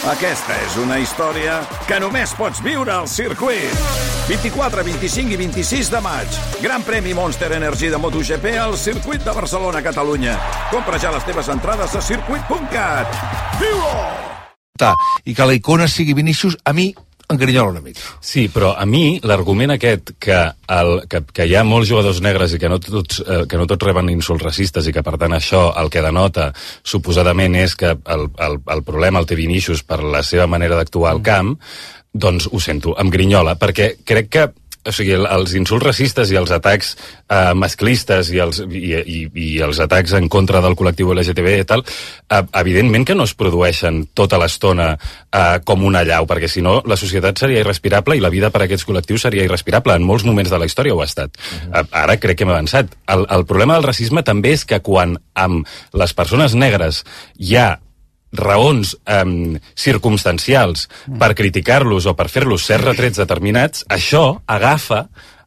Aquesta és una història que només pots viure al circuit. 24, 25 i 26 de maig. Gran premi Monster Energy de MotoGP al circuit de Barcelona, Catalunya. Compra ja les teves entrades a circuit.cat. Viu-ho! I que la icona sigui Vinícius, a mi engrinyola una mica. Sí, però a mi l'argument aquest que hi ha molts jugadors negres i que no tots reben insults racistes i que per tant això el que denota suposadament és que el problema el té Vinícius per la seva manera d'actuar al camp, doncs ho sento, em grinyola, perquè crec que els insults racistes i els atacs masclistes i els atacs en contra del col·lectiu LGTB i tal, evidentment que no es produeixen tota l'estona com una allau, perquè si no la societat seria irrespirable i la vida per a aquests col·lectius seria irrespirable. En molts moments de la història ho ha estat. Ara crec que hem avançat. El problema del racisme també és que quan amb les persones negres hi ha raons circumstancials per criticar-los o per fer-los certs retrets determinats, això agafa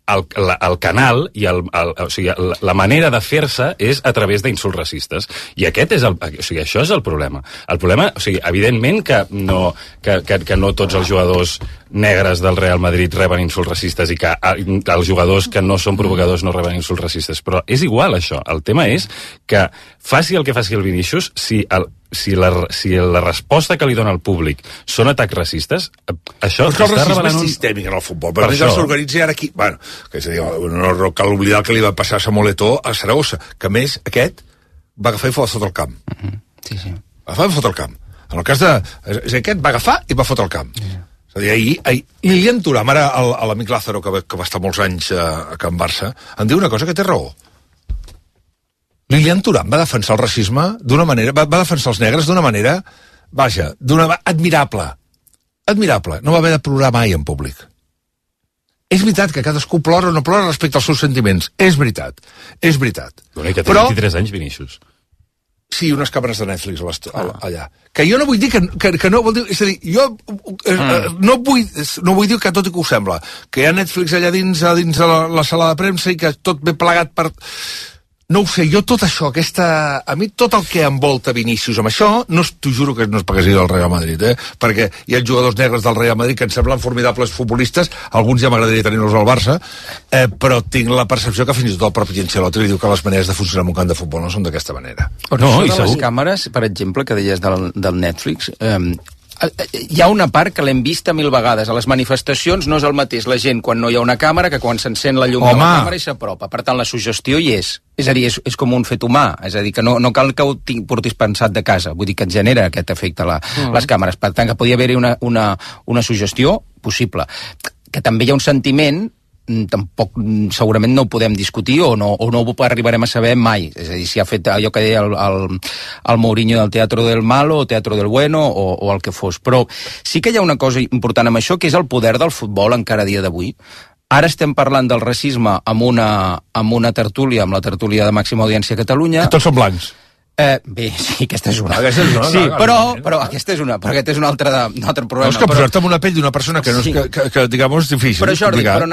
el canal i la manera de fer-se és a través d'insults racistes. I això és el problema. El problema, evidentment que no tots els jugadors negres del Real Madrid reben insults racistes i que els jugadors que no són provocadors no reben insults racistes, però és igual això. El tema és que faci el que faci el Vinícius, si la resposta que li dona el públic són atacs racistes, això està revelant... El racisme és sistèmic en el futbol. Per això s'organitza ara aquí... Bueno, que és a dir, no cal oblidar el que li va passar a Samuel Eto'o a Saragossa, que a més aquest va agafar i va fotre el camp. Sí. Va agafar i va fotre el camp. En el cas de... Aquest va agafar i va fotre el camp. És a dir, ahir Lilian Thuram, ara l'amic Lázaro, que va estar molts anys a Can Barça, em diu una cosa que té raó. Lilian Thuram va defensar el racisme d'una manera, va defensar els negres d'una manera, admirable. Admirable. No va haver de plorar mai en públic. És veritat que cadascú plora o no plora respecte als seus sentiments. És veritat. Bueno, i que té 23 anys, Vinícius. Sí, unes càmeres de Netflix allà. Que jo no vull dir que no vol dir... És a dir, jo no vull dir que tot i que ho sembla, que hi ha Netflix allà dins de la sala de premsa i que tot ve plegat per... No ho sé, jo tot això, a mi tot el que envolta Vinícius amb això, t'ho juro que no és perquè sigui del Real Madrid, perquè hi ha jugadors negres del Real Madrid que em semblen formidables futbolistes, alguns ja m'agradaria tenir-los al Barça, però tinc la percepció que fins i tot el propi Ancelotti li diu que les maneres de funcionar en un camp de futbol no són d'aquesta manera. No, i les càmeres, per exemple, que deies del Netflix... hi ha una part que l'hem vista 1000 vegades. A les manifestacions no és el mateix la gent quan no hi ha una càmera que quan s'encén la llum de la càmera i s'apropa. Per tant, la suggestió hi és. És a dir, és com un fet humà. És a dir, que no cal que ho portis pensat de casa. Vull dir que et genera aquest efecte les càmeres. Per tant, que podia haver-hi una suggestió possible. Que també hi ha un sentiment... tampoc segurament no ho podem discutir o no ho arribarem a saber mai. És a dir, si ha fet allò que deia el Mourinho del teatro del malo o teatro del bueno o el que fos. Però sí que hi ha una cosa important amb això, que és el poder del futbol encara a dia d'avui. Ara estem parlant del racisme amb una tertúlia, amb la tertúlia de màxima audiència a Catalunya. Que tots són blancs. Bé, sí, aquesta és una. Sí, però aquesta és una, però aquest és un altre problema. No, és que posar-te en una pell d'una persona que, sí. que digamos, és difícil. Però Jordi, per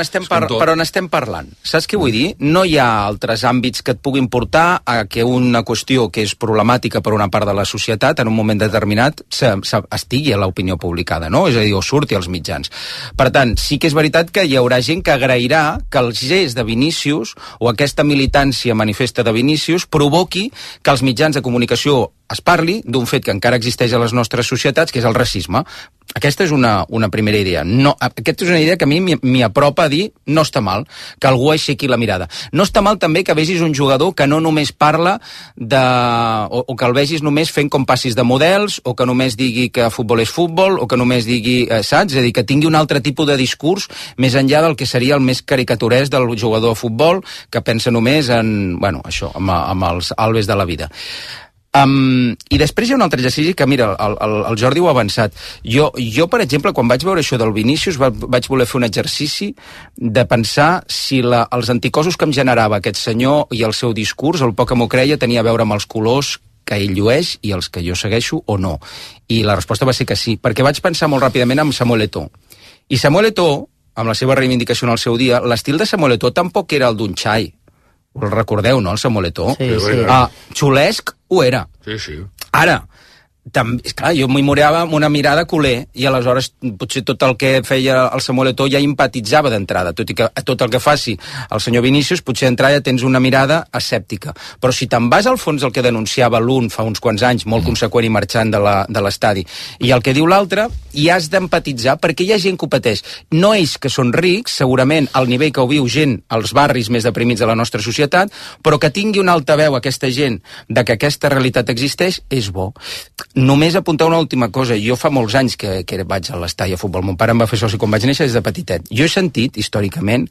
on estem parlant? Saps què vull dir? No hi ha altres àmbits que et puguin portar a que una qüestió que és problemàtica per una part de la societat en un moment determinat estigui a l'opinió publicada, no? És a dir, o surti als mitjans. Per tant, sí que és veritat que hi haurà gent que agrairà que el gest de Vinícius o aquesta militància manifesta de Vinícius provoqui que els mitjans de comunicació es parli d'un fet que encara existeix a les nostres societats, que és el racisme. Aquesta és una primera idea. Aquesta és una idea que a mi m'hi apropa a dir no està mal, que algú aixequi la mirada. No està mal també que vegis un jugador que no només parla o que el vegis només fent com passis de models, o que només digui que futbol és futbol, o que només digui, saps? És a dir, que tingui un altre tipus de discurs més enllà del que seria el més caricaturès del jugador de futbol, que pensa només en, això, amb els albes de la vida. I després hi ha un altre exercici que, mira, el Jordi ho ha avançat. Jo, per exemple, quan vaig veure això del Vinícius, vaig voler fer un exercici de pensar si els anticossos que em generava aquest senyor i el seu discurs, el poc que m'ho creia, tenia a veure amb els colors que ell llueix i els que jo segueixo o no. I la resposta va ser que sí, perquè vaig pensar molt ràpidament en Samuel Eto'o. I Samuel Eto'o, amb la seva reivindicació en el seu dia, l'estil de Samuel Eto'o tampoc era el d'un xai. El recordeu, no, el Samuel Eto'o? Sí. Xulesc ho era. Sí. Ara, Clar, jo m'hi morava amb una mirada culer i aleshores potser tot el que feia el Samuel Eto'o ja empatitzava d'entrada, tot i que tot el que faci el senyor Vinícius potser d'entrada ja tens una mirada escèptica, però si te'n vas al fons el que denunciava l'un fa uns quants anys, molt conseqüent i marxant de l'estadi, i el que diu l'altre, hi has d'empatitzar perquè hi ha gent que ho pateix, no ells que són rics, segurament al nivell que ho viu gent als barris més deprimits de la nostra societat, però que tingui una altaveu aquesta gent de que aquesta realitat existeix, és bo. Només apuntar una última cosa. Jo fa molts anys que vaig a l'estadi a futbol. Mon pare em va fer soci quan vaig néixer des de petitet. Jo he sentit, històricament,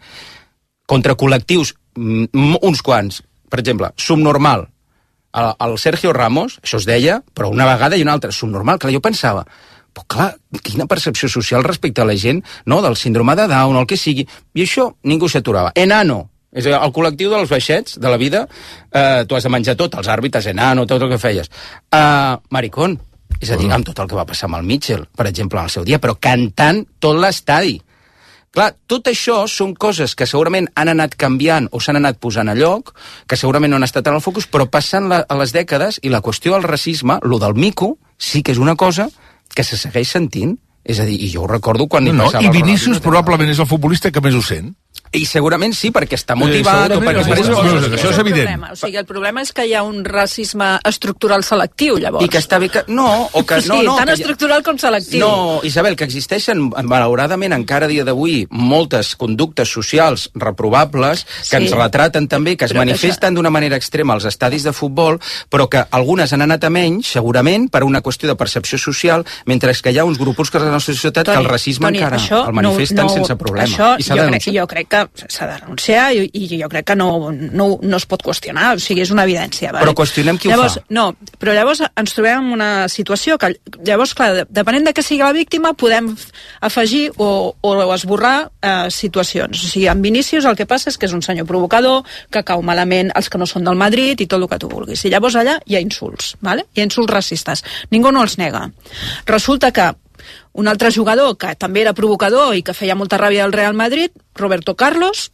contra col·lectius, uns quants, per exemple, subnormal. El Sergio Ramos, això es deia, però una vegada i una altra, subnormal. Clar, jo pensava, però clar, quina percepció social respecte a la gent, no?, del síndrome de Down o el que sigui. I això ningú s'aturava. Enano. És a dir, el col·lectiu dels baixets de la vida, tu has de menjar tot, els àrbitres, enano, tot el que feies. Maricón, és a dir, amb tot el que va passar amb el Mitchell, per exemple, en el seu dia, però cantant tot l'estadi. Clar, tot això són coses que segurament han anat canviant o s'han anat posant a lloc, que segurament no han estat en el focus, però passant a les dècades, i la qüestió del racisme, lo del mico, sí que és una cosa que se segueix sentint. És a dir, i jo ho recordo quan hi passava... I Vinícius probablement és el futbolista que més ho sent. I segurament sí, perquè està motivat o perquè... Això és evident. O sigui, el problema és que hi ha un racisme estructural selectiu, llavors. I que està bé que... No, o que... Sí, tant estructural com selectiu. No, Isabel, que existeixen, malauradament, encara a dia d'avui, moltes conductes socials reprovables que ens retraten també, que es manifesten d'una manera extrema als estadis de futbol, però que algunes han anat a menys, segurament, per una qüestió de percepció social, mentre que hi ha uns grupuscos de la nostra societat que el racisme encara el manifesten sense problema. Això jo crec que s'ha de renunciar i jo crec que no es pot qüestionar, o sigui, és una evidència. Vale? Però qüestionem qui ho fa. No, però llavors ens trobem en una situació que, llavors, clar, depenent de què sigui la víctima, podem afegir o esborrar situacions. O sigui, amb Vinícius el que passa és que és un senyor provocador, que cau malament els que no són del Madrid i tot el que tu vulguis. I llavors allà hi ha insults, vale? Hi ha insults racistes. Ningú no els nega. Resulta que un altre jugador que també era provocador i que feia molta ràbia al Real Madrid, Roberto Carlos,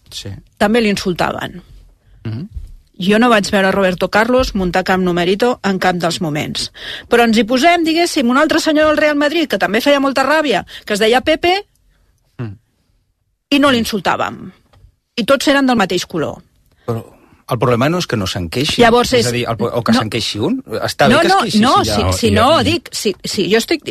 també l'insultaven. Jo no vaig veure Roberto Carlos muntar cap numerito en cap dels moments. Però ens hi posem, diguéssim, un altre senyor del Real Madrid que també feia molta ràbia, que es deia Pepe, i no l'insultàvem. I tots eren del mateix color. Però... El problema no és que no se'n queixi, llavors és a dir, o que se'n queixi un. Està bé que es queixi.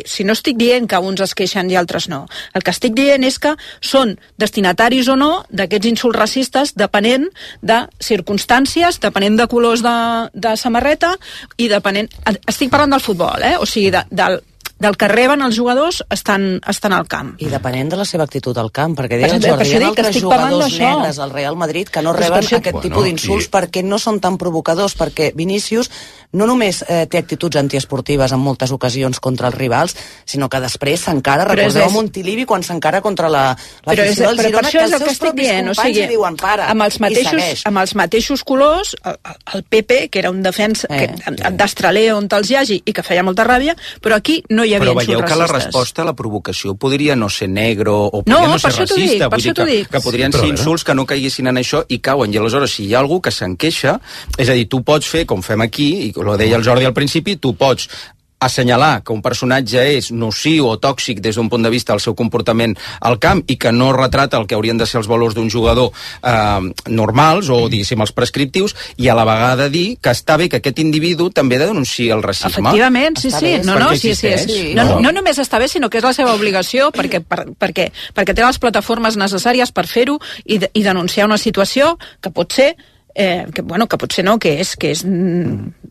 Si no estic dient que uns es queixen i altres no. El que estic dient és que són destinataris o no d'aquests insults racistes depenent de circumstàncies, depenent de colors de samarreta i depenent... Estic parlant del futbol, o sigui, del que reben els jugadors estan al camp. I depenent de la seva actitud al camp, perquè deia el Jordi, hi ha altres jugadors negres al Real Madrid que no reben aquest tipus d'insults perquè no són tan provocadors, perquè Vinícius no només té actituds antiesportives en moltes ocasions contra els rivals, sinó que després s'encara, recordeu a Montilivi quan s'encara contra l'afició del Girona, que els seus propis companys li diuen para, i segueix. Amb els mateixos colors, el Pepe, que era un defensa d'Astraler on te'ls hi hagi i que feia molta ràbia, però aquí no hi havia insults racistes. Però veieu que la resposta a la provocació podria no ser negre o podria no ser racista, vull dir que podrien ser insults que no caiguessin en això i cauen, i aleshores si hi ha algú que se'n queixa, és a dir, tu pots fer, com fem aquí, i ho deia el Jordi al principi, tu pots assenyalar que un personatge és nociu o tòxic des d'un punt de vista del seu comportament al camp i que no retrata el que haurien de ser els valors d'un jugador normals o, diguéssim, els prescriptius, i a la vegada dir que està bé que aquest individu també denunciï el racisme. Efectivament, sí. No només està bé, sinó que és la seva obligació perquè té les plataformes necessàries per fer-ho i denunciar una situació que pot ser que potser no, que és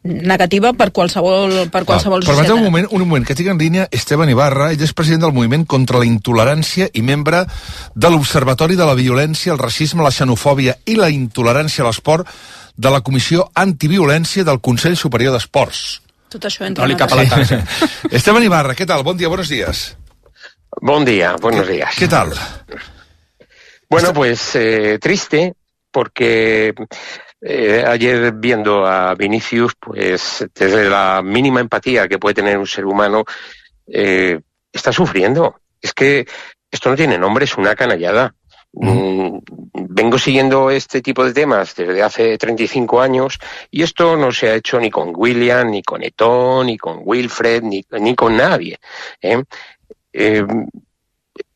negativa per qualsevol societat. Permeteu un moment, que tinc en línia Esteban Ibarra, ell és president del Moviment contra la Intolerància i membre de l'Observatori de la Violència, el Racisme, la Xenofòbia i la Intolerància a l'Esport de la Comissió Antiviolència del Consell Superior d'Esports. Tot això entra a la taxa. Esteban Ibarra, ¿qué tal? Buen día, buenos días. Buen día, buenos días. ¿Qué tal? Bueno, pues triste, porque ayer viendo a Vinícius, pues desde la mínima empatía que puede tener un ser humano, está sufriendo. Es que esto no tiene nombre, es una canallada. Vengo siguiendo este tipo de temas desde hace 35 años y esto no se ha hecho ni con William, ni con Eto'o, ni con Wilfred, ni con nadie.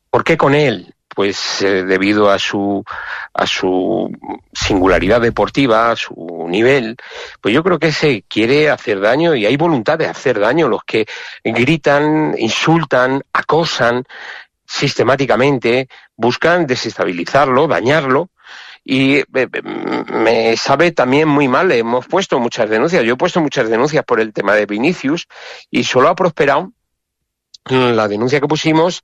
¿Por qué con él? Pues debido a su singularidad deportiva, a su nivel, pues yo creo que se quiere hacer daño y hay voluntad de hacer daño. Los que gritan, insultan, acosan sistemáticamente, buscan desestabilizarlo, dañarlo. Y me sabe también muy mal, hemos puesto muchas denuncias, yo he puesto muchas denuncias por el tema de Vinicius y solo ha prosperado la denuncia que pusimos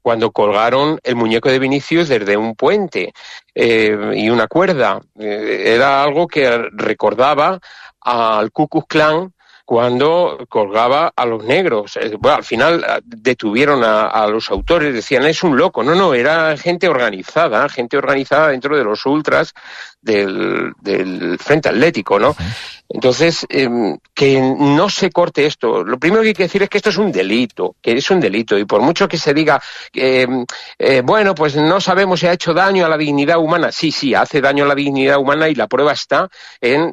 cuando colgaron el muñeco de Vinicius desde un puente y una cuerda. Era algo que recordaba al Ku Klux Klan cuando colgaba a los negros. Bueno, al final detuvieron a los autores, decían, es un loco. No, era gente organizada dentro de los ultras del Frente Atlético, ¿no? Entonces, que no se corte esto. Lo primero que hay que decir es que esto es un delito, y por mucho que se diga, bueno, pues no sabemos si ha hecho daño a la dignidad humana. Sí, hace daño a la dignidad humana y la prueba está en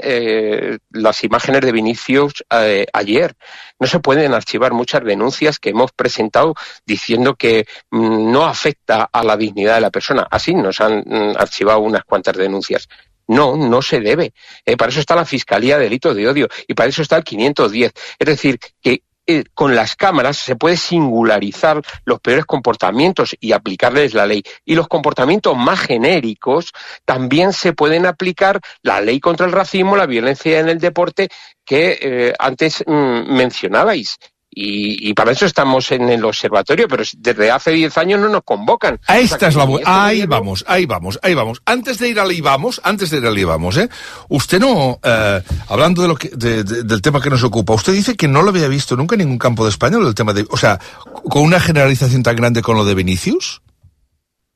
las imágenes de Vinicius ayer. No se pueden archivar muchas denuncias que hemos presentado diciendo que no afecta a la dignidad de la persona. Así nos han archivado unas cuantas denuncias. No se debe. Para eso está la Fiscalía de Delitos de Odio y para eso está el 510. Es decir, que con las cámaras se puede singularizar los peores comportamientos y aplicarles la ley. Y los comportamientos más genéricos también se pueden aplicar la ley contra el racismo, la violencia en el deporte que antes mencionabais. Y para eso estamos en el observatorio, pero desde hace 10 años no nos convocan. Esta es la ahí vamos. Antes de ir al IVAMOS, usted no, hablando del tema que nos ocupa, usted dice que no lo había visto nunca en ningún campo de España, el tema de, o sea, con una generalización tan grande con lo de Vinicius.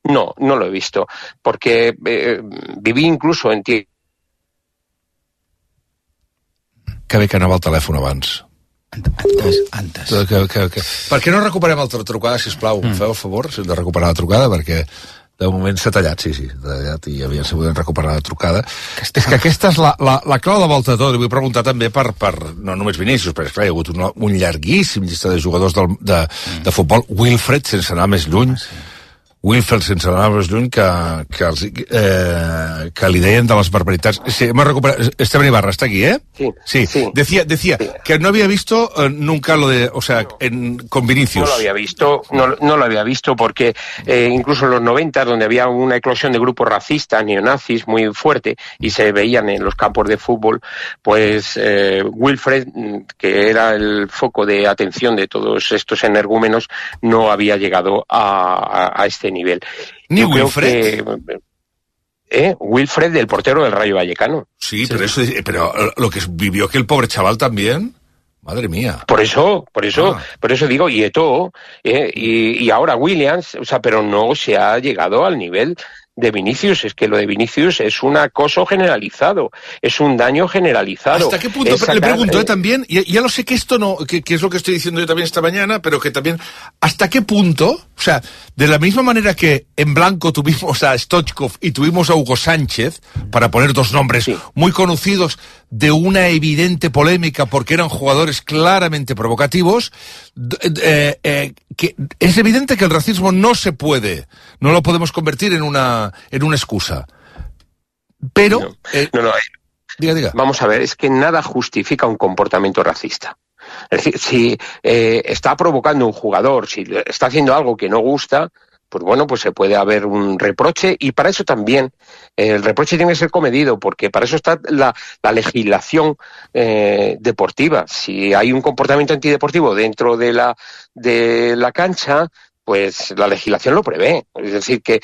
No lo he visto, porque viví incluso en ti. Que bé que anava al telèfon abans. Antes. Que. Per què no recuperem altra trucada, sisplau? Feu el favor de recuperar la trucada, perquè de moment s'ha tallat, sí, tallat, i aviam si podem recuperar la trucada. És que aquesta és la clau de volta de tot. Li vull preguntar també per no només Vinícius, perquè esclar, hi ha hagut un llarguíssim llista de jugadors de futbol. Wilfred, sense anar més lluny, que li deien de las barbaritats. Sí, hemos recuperado. Esteban Ibarra está aquí, ¿eh? Sí. Decía que no había visto nunca lo de, o sea, con Vinicius. No lo había visto porque incluso en los 90, donde había una eclosión de grupos racistas, neonazis muy fuerte y se veían en los campos de fútbol, pues Wilfred, que era el foco de atención de todos estos energúmenos, no había llegado a este nivel. ¿Ni Wilfred? Wilfred, el portero del Rayo Vallecano. Sí, pero lo que vivió que el pobre chaval también, madre mía. Por eso digo, y Eto'o, y ahora Williams, o sea, pero no se ha llegado al nivel de Vinicius. Es que lo de Vinicius es un acoso generalizado, es un daño generalizado. ¿Hasta qué punto? Le pregunto también, ya lo sé que esto no, que es lo que estoy diciendo yo también esta mañana, pero que también, ¿hasta qué punto? O sea, de la misma manera que en blanco tuvimos a Stoichkov y tuvimos a Hugo Sánchez, para poner dos nombres muy conocidos de una evidente polémica porque eran jugadores claramente provocativos, que es evidente que el racismo no lo podemos convertir en una excusa. Pero... Diga. Vamos a ver, es que nada justifica un comportamiento racista. Es decir, si está provocando un jugador, si está haciendo algo que no gusta, pues bueno, pues se puede haber un reproche, y para eso también el reproche tiene que ser comedido, porque para eso está la legislación deportiva. Si hay un comportamiento antideportivo dentro de la cancha, pues la legislación lo prevé. Es decir, que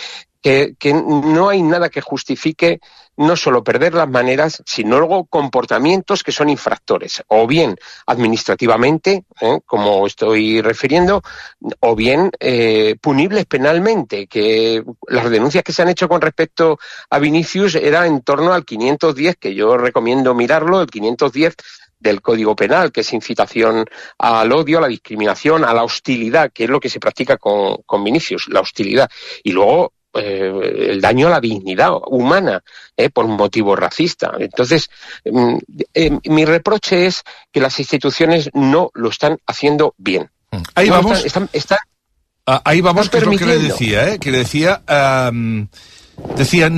no hay nada que justifique no solo perder las maneras, sino luego comportamientos que son infractores, o bien administrativamente, como estoy refiriendo, o bien punibles penalmente, que las denuncias que se han hecho con respecto a Vinicius era en torno al 510, que yo recomiendo mirarlo, el 510 del Código Penal, que es incitación al odio, a la discriminación, a la hostilidad, que es lo que se practica con Vinicius, la hostilidad. Y luego el daño a la dignidad humana por un motivo racista. Entonces, mi reproche es que las instituciones no lo están haciendo bien. Ahí no vamos. Ahí vamos, que es lo que le decía, que le decía... Decía, que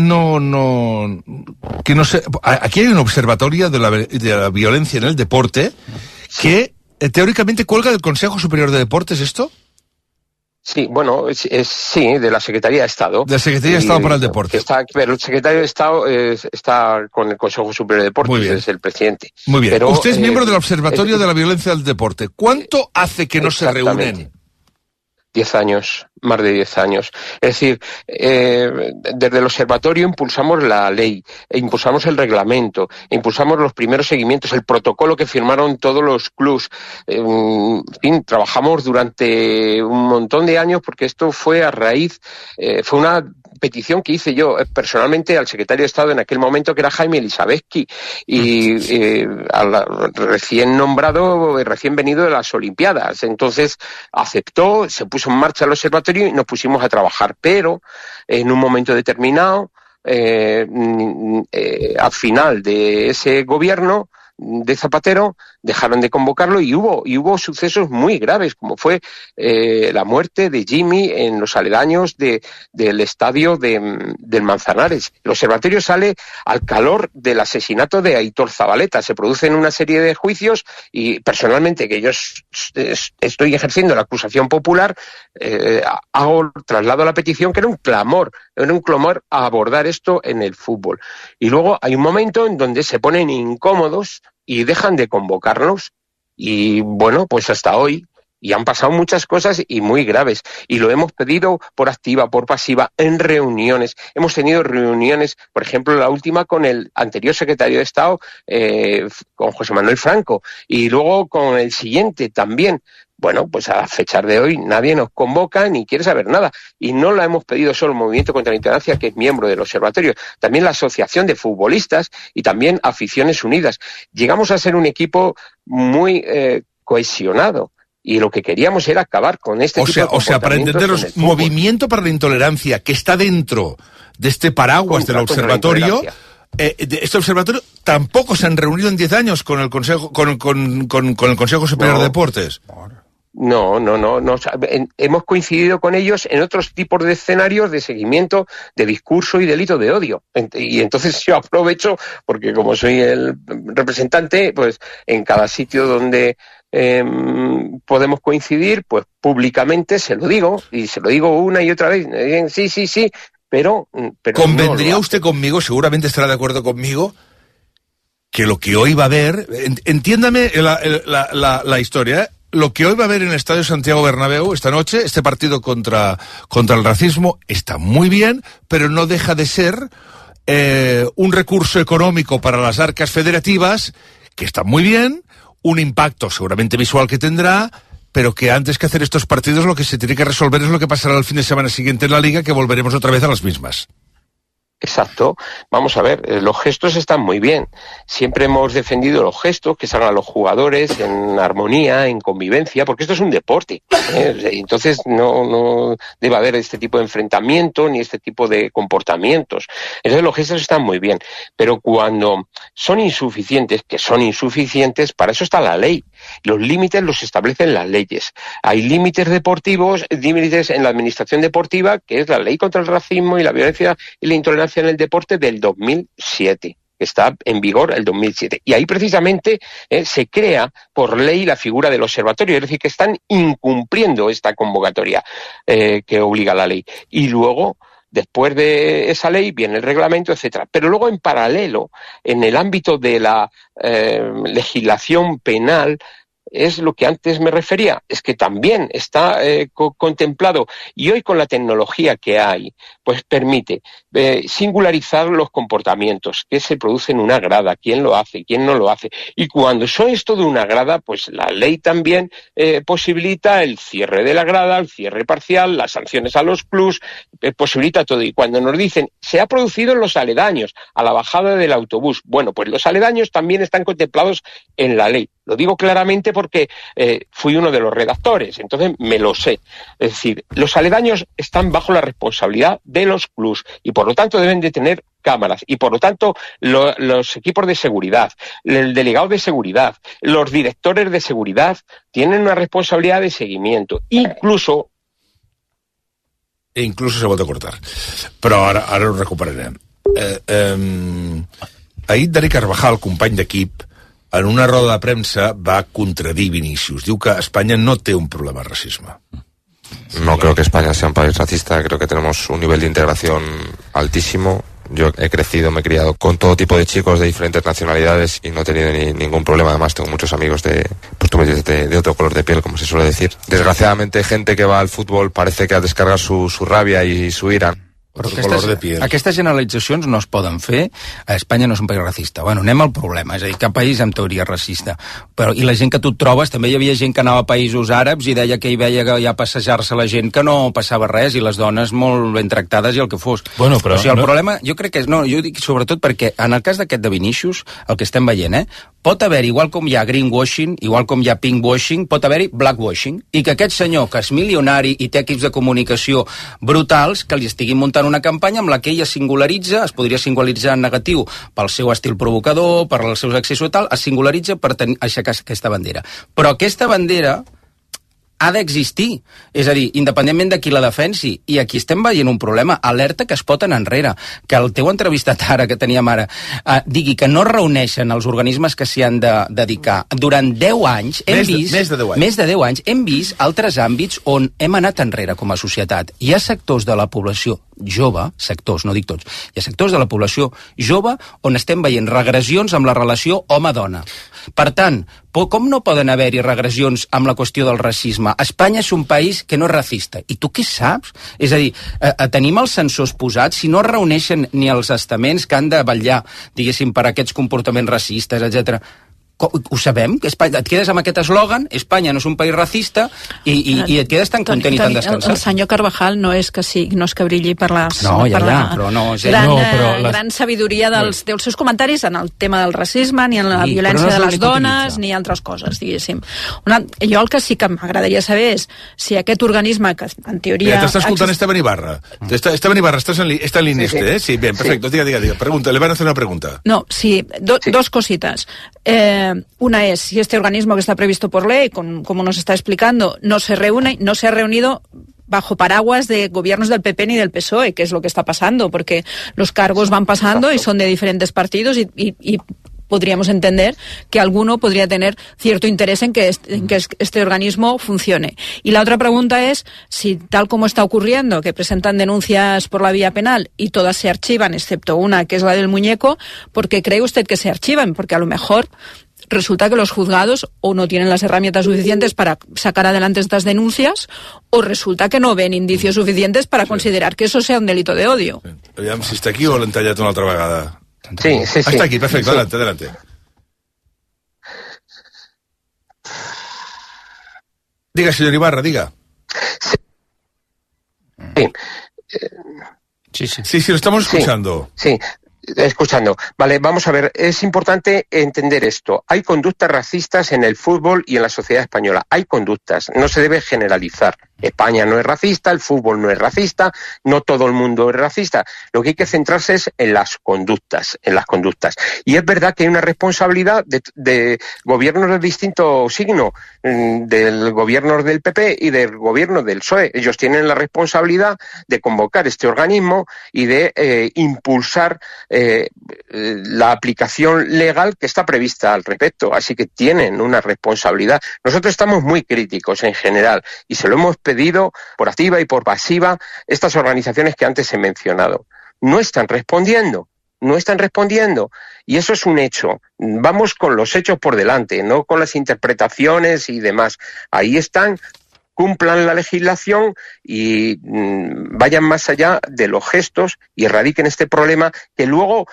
no sé... Aquí hay un observatorio de la violencia en el deporte que teóricamente cuelga del Consejo Superior de Deportes, ¿esto? Sí, bueno, sí, de la Secretaría de Estado. De la Secretaría de Estado para el Deporte. Pero el Secretario de Estado está con el Consejo Superior de Deportes, es el presidente. Muy bien. Pero, usted es miembro del Observatorio de la Violencia del Deporte. ¿Cuánto hace que no se reúnen? 10 años, más de 10 años. Es decir, desde el observatorio impulsamos la ley, impulsamos el reglamento, impulsamos los primeros seguimientos, el protocolo que firmaron todos los clubs. En fin, trabajamos durante un montón de años porque esto fue a raíz, fue una petición que hice yo personalmente al secretario de Estado en aquel momento, que era Jaime Elisabetsky, y recién nombrado, recién venido de las Olimpiadas. Entonces aceptó, se puso en marcha el observatorio y nos pusimos a trabajar, pero en un momento determinado, al final de ese gobierno de Zapatero, dejaron de convocarlo y hubo sucesos muy graves, como fue la muerte de Jimmy en los aledaños del estadio del Manzanares. El observatorio sale al calor del asesinato de Aitor Zabaleta. Se producen una serie de juicios y personalmente, que yo estoy ejerciendo la acusación popular, traslado la petición, que era un clamor a abordar esto en el fútbol. Y luego hay un momento en donde se ponen incómodos y dejan de convocarnos. Y bueno, pues hasta hoy. Y han pasado muchas cosas y muy graves. Y lo hemos pedido por activa, por pasiva, en reuniones. Hemos tenido reuniones, por ejemplo, la última con el anterior secretario de Estado, con José Manuel Franco. Y luego con el siguiente también. Bueno, pues a fechar de hoy nadie nos convoca ni quiere saber nada. Y no la hemos pedido solo el Movimiento contra la Intolerancia, que es miembro del observatorio, también la Asociación de Futbolistas y también Aficiones Unidas. Llegamos a ser un equipo muy cohesionado. Y lo que queríamos era acabar con este tipo de comportamientos. O sea, para entenderos, Movimiento para la Intolerancia, que está dentro de este paraguas del observatorio... este observatorio tampoco se han reunido en 10 años con el Consejo con el Consejo Superior de Deportes. No. Hemos coincidido con ellos en otros tipos de escenarios de seguimiento de discurso y delito de odio. Y entonces yo aprovecho, porque como soy el representante, pues en cada sitio donde podemos coincidir, pues públicamente se lo digo, y se lo digo una y otra vez. Sí. Pero ¿convendría usted conmigo, seguramente estará de acuerdo conmigo, que lo que hoy va a haber, entiéndame la historia, lo que hoy va a haber en el Estadio Santiago Bernabéu esta noche, este partido contra el racismo, está muy bien, pero no deja de ser un recurso económico para las arcas federativas, que está muy bien, un impacto seguramente visual que tendrá, pero que antes que hacer estos partidos lo que se tiene que resolver es lo que pasará el fin de semana siguiente en la Liga, que volveremos otra vez a las mismas. Exacto. Vamos a ver, los gestos están muy bien. Siempre hemos defendido los gestos, que salgan los jugadores en armonía, en convivencia, porque esto es un deporte. Entonces no debe haber este tipo de enfrentamiento ni este tipo de comportamientos. Entonces los gestos están muy bien. Pero cuando son insuficientes, que son insuficientes, para eso está la ley. Los límites los establecen las leyes. Hay límites deportivos, límites en la administración deportiva, que es la ley contra el racismo y la violencia y la intolerancia en el deporte del 2007, que está en vigor el 2007. Y ahí precisamente se crea por ley la figura del observatorio, es decir, que están incumpliendo esta convocatoria que obliga la ley. Y luego, después de esa ley, viene el reglamento, etcétera. Pero luego, en paralelo, en el ámbito de la legislación penal, es lo que antes me refería, es que también está contemplado, y hoy con la tecnología que hay, pues permite singularizar los comportamientos que se producen en una grada, quién lo hace, quién no lo hace. Y cuando son esto de una grada, pues la ley también posibilita el cierre de la grada, el cierre parcial, las sanciones a los clubs, posibilita todo. Y cuando nos dicen, se ha producido en los aledaños, a la bajada del autobús, bueno, pues los aledaños también están contemplados en la ley. Lo digo claramente porque fui uno de los redactores, entonces me lo sé. Es decir, los aledaños están bajo la responsabilidad de los clubs y por lo tanto deben de tener cámaras y por lo tanto los equipos de seguridad, el delegado de seguridad, los directores de seguridad tienen una responsabilidad de seguimiento. Incluso se pot acortar. Però ara ho recuperarem. Ahir Dani Carvajal, company d'equip, en una roda de premsa va contradir Vinícius. Diu que Espanya no té un problema de racisme. No creo que España sea un país racista, creo que tenemos un nivel de integración altísimo. Yo he crecido, me he criado con todo tipo de chicos de diferentes nacionalidades y no he tenido ningún problema. Además tengo muchos amigos de otro color de piel, como se suele decir. Desgraciadamente, gente que va al fútbol parece que ha descargat su rabia i su ira. Però aquestes generalitzacions no es poden fer. A Espanya no és un país racista. Bueno, anem al problema. És a dir, cap país en teoria racista. Però, i la gent que tu et trobes, també hi havia gent que anava a països àrabs i deia que hi veia que ja passejar-se la gent que no passava res i les dones molt ben tractades i el que fos. Bueno, però... O sigui, el problema, jo crec que és... No, jo dic sobretot perquè en el cas d'aquest de Vinícius, el que estem veient, pot haver, igual com hi ha greenwashing, igual com hi ha pinkwashing, pot haver-hi blackwashing. I que aquest senyor, que és milionari i té equips de comunicació brutals, que li estiguin muntant una campanya amb la que ella singularitza, es podria singularitzar en negatiu pel seu estil provocador, per els seus accessos i tal, es singularitza per aixecar aquesta bandera. Però aquesta bandera ha d'existir, és a dir, independentment de qui la defensi, i aquí estem veient un problema, alerta que es pot anar enrere, que el teu entrevistat ara, que teníem ara, digui que no reuneixen els organismes que s'hi han de dedicar. Durant 10 anys hem vist... Més de 10 anys hem vist altres àmbits on hem anat enrere com a societat. Hi ha sectors de la població jove, sectors, no dic tots, hi ha sectors de la població jove on estem veient regressions amb la relació home-dona. Per tant, com no poden haver-hi regressions amb la qüestió del racisme? Espanya és un país que no és racista. I tu què saps? És a dir, tenim els censors posats, si no es reuneixen ni els estaments que han de vetllar, diguéssim, per aquests comportaments racistes, etc. Ho sabem? Et quedes amb aquest eslògan, Espanya no és un país racista, i et quedes tan content i tan descansat. El senyor Carvajal no és que brilli per la gran sabidoria dels seus comentaris en el tema del racisme, ni en la violència de les dones, ni altres coses, diguéssim. Jo el que sí que m'agradaria saber és si aquest organisme, que en teoria... T'està escoltant Esteban Ibarra. Esteban Ibarra, está en línea, ¿eh? Sí, bien, perfecto. Diga. Pregunta, le van a hacer una pregunta. No, sí, dos cositas. Una es, si este organismo que está previsto por ley, como nos está explicando, no se ha reunido bajo paraguas de gobiernos del PP ni del PSOE, que es lo que está pasando, porque los cargos van pasando y son de diferentes partidos y podríamos entender que alguno podría tener cierto interés en que este organismo funcione. Y la otra pregunta es si, tal como está ocurriendo, que presentan denuncias por la vía penal y todas se archivan, excepto una, que es la del muñeco, ¿por qué cree usted que se archivan? Porque a lo mejor resulta que los juzgados o no tienen las herramientas suficientes para sacar adelante estas denuncias, o resulta que no ven indicios suficientes para considerar que eso sea un delito de odio. Aviam si està aquí o l'hem tallat una altra vegada. Sí. Está aquí, perfecto, sí. Adelante. Diga, señor Ibarra, diga. Sí, lo estamos escuchando. Sí. Escuchando. Vale, vamos a ver, es importante entender esto. Hay conductas racistas en el fútbol y en la sociedad española. Hay conductas, no se debe generalizar. España no es racista, el fútbol no es racista, no todo el mundo es racista. Lo que hay que centrarse es en las conductas, Y es verdad que hay una responsabilidad de gobiernos de distinto signo, del gobierno del PP y del gobierno del PSOE. Ellos tienen la responsabilidad de convocar este organismo y de impulsar la aplicación legal que está prevista al respecto. Así que tienen una responsabilidad. Nosotros estamos muy críticos en general y se lo hemos pedido por activa y por pasiva estas organizaciones que antes he mencionado. No están respondiendo y eso es un hecho. Vamos con los hechos por delante, no con las interpretaciones y demás. Ahí están, cumplan la legislación y vayan más allá de los gestos y erradiquen este problema que luego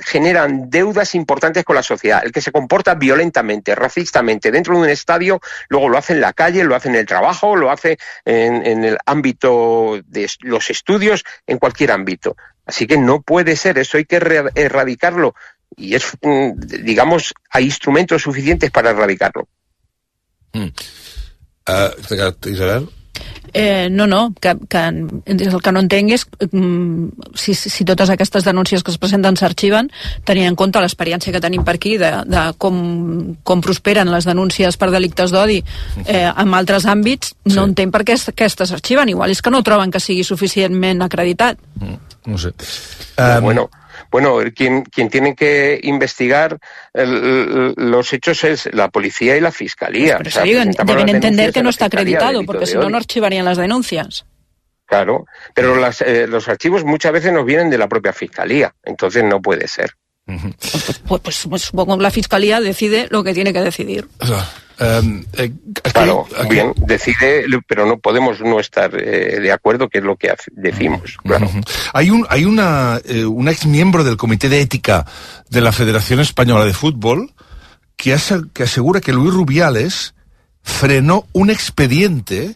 generan deudas importantes con la sociedad. El que se comporta violentamente, racistamente dentro de un estadio, luego lo hace en la calle, lo hace en el trabajo, lo hace en el ámbito de los estudios, en cualquier ámbito. Así que no puede ser, eso hay que erradicarlo y es, digamos, hay instrumentos suficientes para erradicarlo. Isabel? No, que el que no entenc és si totes aquestes denúncies que es presenten s'arxiven, tenint en compte l'experiència que tenim per aquí de com prosperen les denúncies per delictes d'odi en altres àmbits, no entenc per què aquestes s'arxiven. Igual és que no troben que sigui suficientment acreditat. No sé. Bueno, quien tiene que investigar los hechos es la policía y la fiscalía. Pero deben entender que no está acreditado, porque si no, no archivarían las denuncias. Claro, pero los archivos muchas veces nos vienen de la propia fiscalía, entonces no puede ser. Pues supongo que la fiscalía decide lo que tiene que decidir. Claro, bien, decide, pero no podemos no estar de acuerdo, que es lo que decimos. Claro. Hay un ex miembro del Comité de Ética de la Federación Española de Fútbol que asegura que Luis Rubiales frenó un expediente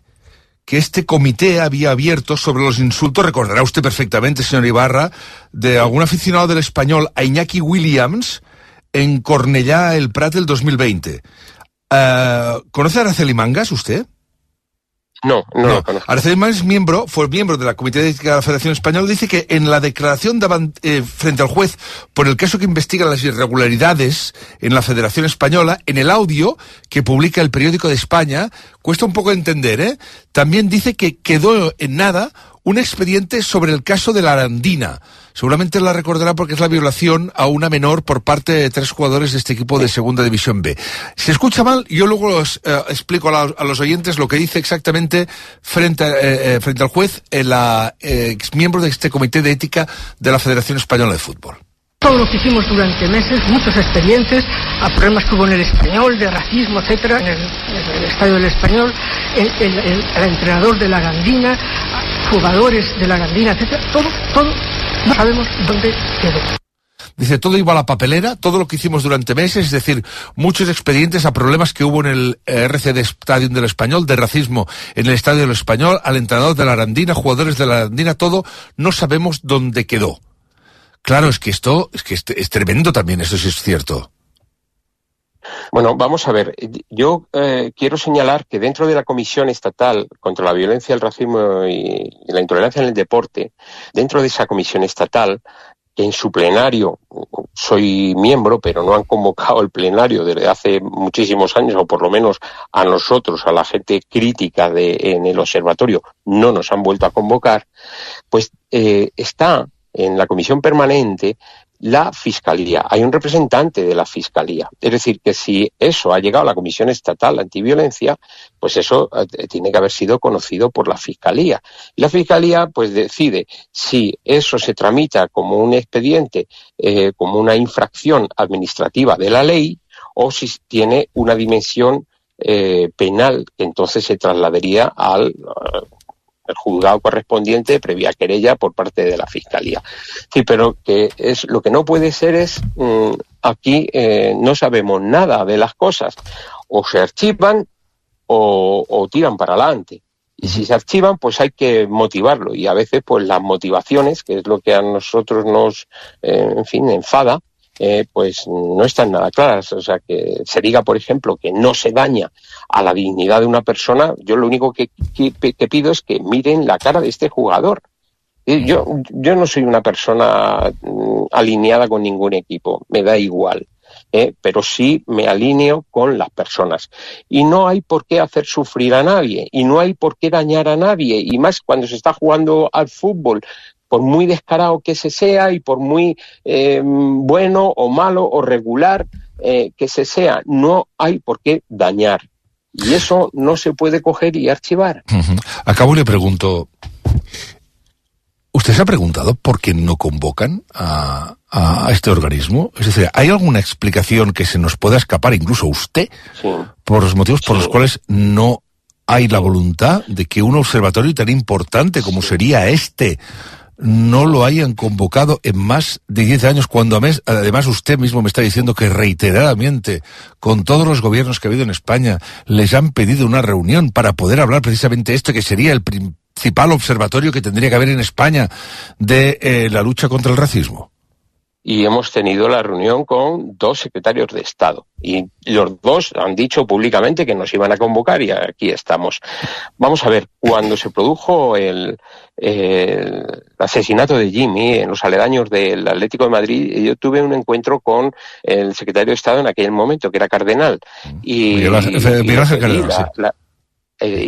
que este comité había abierto sobre los insultos, recordará usted perfectamente, señor Ibarra, de algún aficionado del Español a Iñaki Williams en Cornellá el Prat del 2020. ¿Conoce a Araceli Mangas usted? No lo conozco. Araceli Mangas fue miembro de la Comité de Ética de la Federación Española. Dice que en la declaración frente al juez por el caso que investiga las irregularidades en la Federación Española, en el audio que publica el Periódico de España, cuesta un poco entender, también dice que quedó en nada un expediente sobre el caso de la Arandina. Seguramente la recordará porque es la violación a una menor por parte de 3 jugadores de este equipo de Segunda División B. Si escucha mal, yo luego explico a los oyentes lo que dice exactamente frente al juez el ex miembro de este Comité de Ética de la Federación Española de Fútbol. Todo lo que hicimos durante meses, muchos expedientes, a problemas que hubo en el Español, de racismo, etcétera, en el estadio del Español, el entrenador de la Arandina, jugadores de la Arandina, etcétera, todo, no sabemos dónde quedó. Dice, todo iba a la papelera, todo lo que hicimos durante meses, es decir, muchos expedientes a problemas que hubo en el RCD Stadium del Español, de racismo en el estadio del Español, al entrenador de la Arandina, jugadores de la Arandina, todo, no sabemos dónde quedó. Claro, es que es tremendo también, eso sí es cierto. Bueno, vamos a ver, yo quiero señalar que dentro de la Comisión Estatal contra la Violencia, el Racismo y la Intolerancia en el Deporte, dentro de esa Comisión Estatal, que en su plenario soy miembro, pero no han convocado el plenario desde hace muchísimos años, o por lo menos a nosotros, a la gente crítica en el observatorio, no nos han vuelto a convocar, pues está en la comisión permanente la Fiscalía. Hay un representante de la Fiscalía. Es decir, que si eso ha llegado a la Comisión Estatal Antiviolencia, pues eso tiene que haber sido conocido por la Fiscalía. Y la Fiscalía pues decide si eso se tramita como un expediente, como una infracción administrativa de la ley, o si tiene una dimensión penal, que entonces se trasladaría al el juzgado correspondiente previa querella por parte de la Fiscalía. Sí, pero que es lo que no puede ser es aquí no sabemos nada de las cosas, o se archivan o tiran para adelante. Y si se archivan, pues hay que motivarlo, y a veces pues las motivaciones, que es lo que a nosotros nos enfada, pues no están nada claras. O sea, que se diga, por ejemplo, que no se daña a la dignidad de una persona, yo lo único que pido es que miren la cara de este jugador. Yo no soy una persona alineada con ningún equipo, me da igual, pero sí me alineo con las personas. Y no hay por qué hacer sufrir a nadie, y no hay por qué dañar a nadie, y más cuando se está jugando al fútbol. Por muy descarado que se sea y por muy bueno o malo o regular que se sea, no hay por qué dañar. Y eso no se puede coger y archivar. Acabo y le pregunto, ¿usted se ha preguntado por qué no convocan a este organismo? Es decir, ¿hay alguna explicación que se nos pueda escapar, incluso usted, por los motivos por los cuales no hay la voluntad de que un observatorio tan importante como sería este no lo hayan convocado en más de 10 años, cuando además usted mismo me está diciendo que reiteradamente, con todos los gobiernos que ha habido en España, les han pedido una reunión para poder hablar precisamente esto, que sería el principal observatorio que tendría que haber en España de la lucha contra el racismo? y hemos tenido la reunión con 2 secretarios de Estado. Y los 2 han dicho públicamente que nos iban a convocar y aquí estamos. Vamos a ver, cuando se produjo el asesinato de Jimmy en los aledaños del Atlético de Madrid, yo tuve un encuentro con el secretario de Estado en aquel momento, que era Cardenal. Y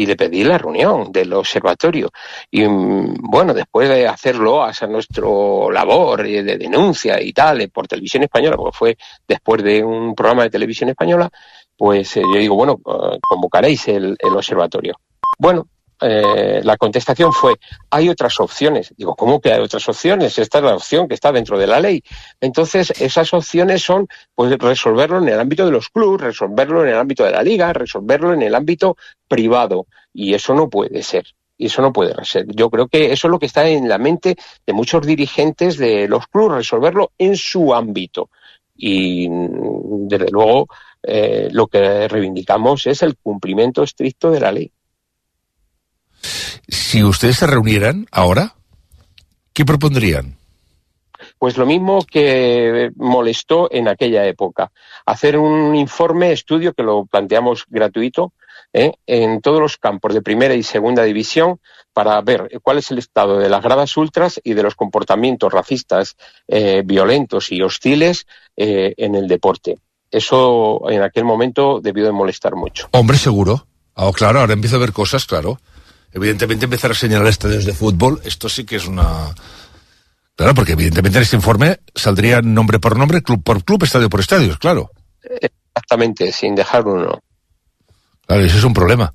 le pedí la reunión del observatorio. Y bueno, después de hacerlo, hacer nuestro labor de denuncia y tal, por Televisión Española, porque fue después de un programa de Televisión Española, pues yo digo, bueno, convocaréis el observatorio. Bueno, la contestación fue, hay otras opciones. Digo, ¿cómo que hay otras opciones? Esta es la opción que está dentro de la ley. Entonces, esas opciones son, pues, resolverlo en el ámbito de los clubes, resolverlo en el ámbito de la liga, resolverlo en el ámbito privado. Y eso no puede ser. Y eso no puede ser. Yo creo que eso es lo que está en la mente de muchos dirigentes de los clubes, resolverlo en su ámbito. Y, desde luego, lo que reivindicamos es el cumplimiento estricto de la ley. Si ustedes se reunieran ahora, ¿qué propondrían? Pues lo mismo que molestó en aquella época. Hacer un informe, estudio, que lo planteamos gratuito, en todos los campos de primera y segunda división, para ver cuál es el estado de las gradas ultras y de los comportamientos racistas, violentos y hostiles en el deporte. Eso en aquel momento debió de molestar mucho. Hombre, seguro. Claro, ahora empiezo a ver cosas, claro. Evidentemente empezar a señalar estadios de fútbol, esto sí que es una... Claro, porque evidentemente en este informe saldría nombre por nombre, club por club, estadio por estadio, claro. Exactamente, sin dejar uno. Claro, ese es un problema.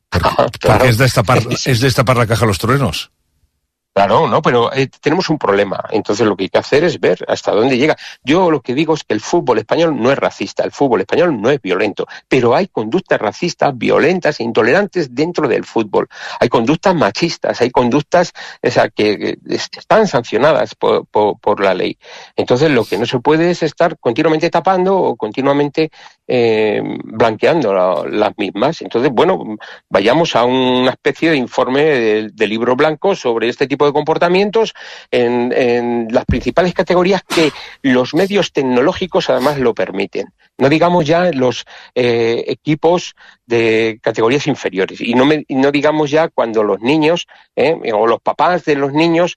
Porque es destapar la caja a los truenos. Claro, no, pero tenemos un problema. Entonces lo que hay que hacer es ver hasta dónde llega. Yo lo que digo es que el fútbol español no es racista, el fútbol español no es violento, pero hay conductas racistas, violentas e intolerantes dentro del fútbol. Hay conductas machistas, hay conductas que están sancionadas por la ley. Entonces lo que no se puede es estar continuamente tapando o continuamente blanqueando las mismas. Entonces, bueno, vayamos a una especie de informe de libro blanco sobre este tipo de comportamientos en las principales categorías que los medios tecnológicos además lo permiten. No digamos ya los equipos de categorías inferiores y no digamos ya cuando los niños o los papás de los niños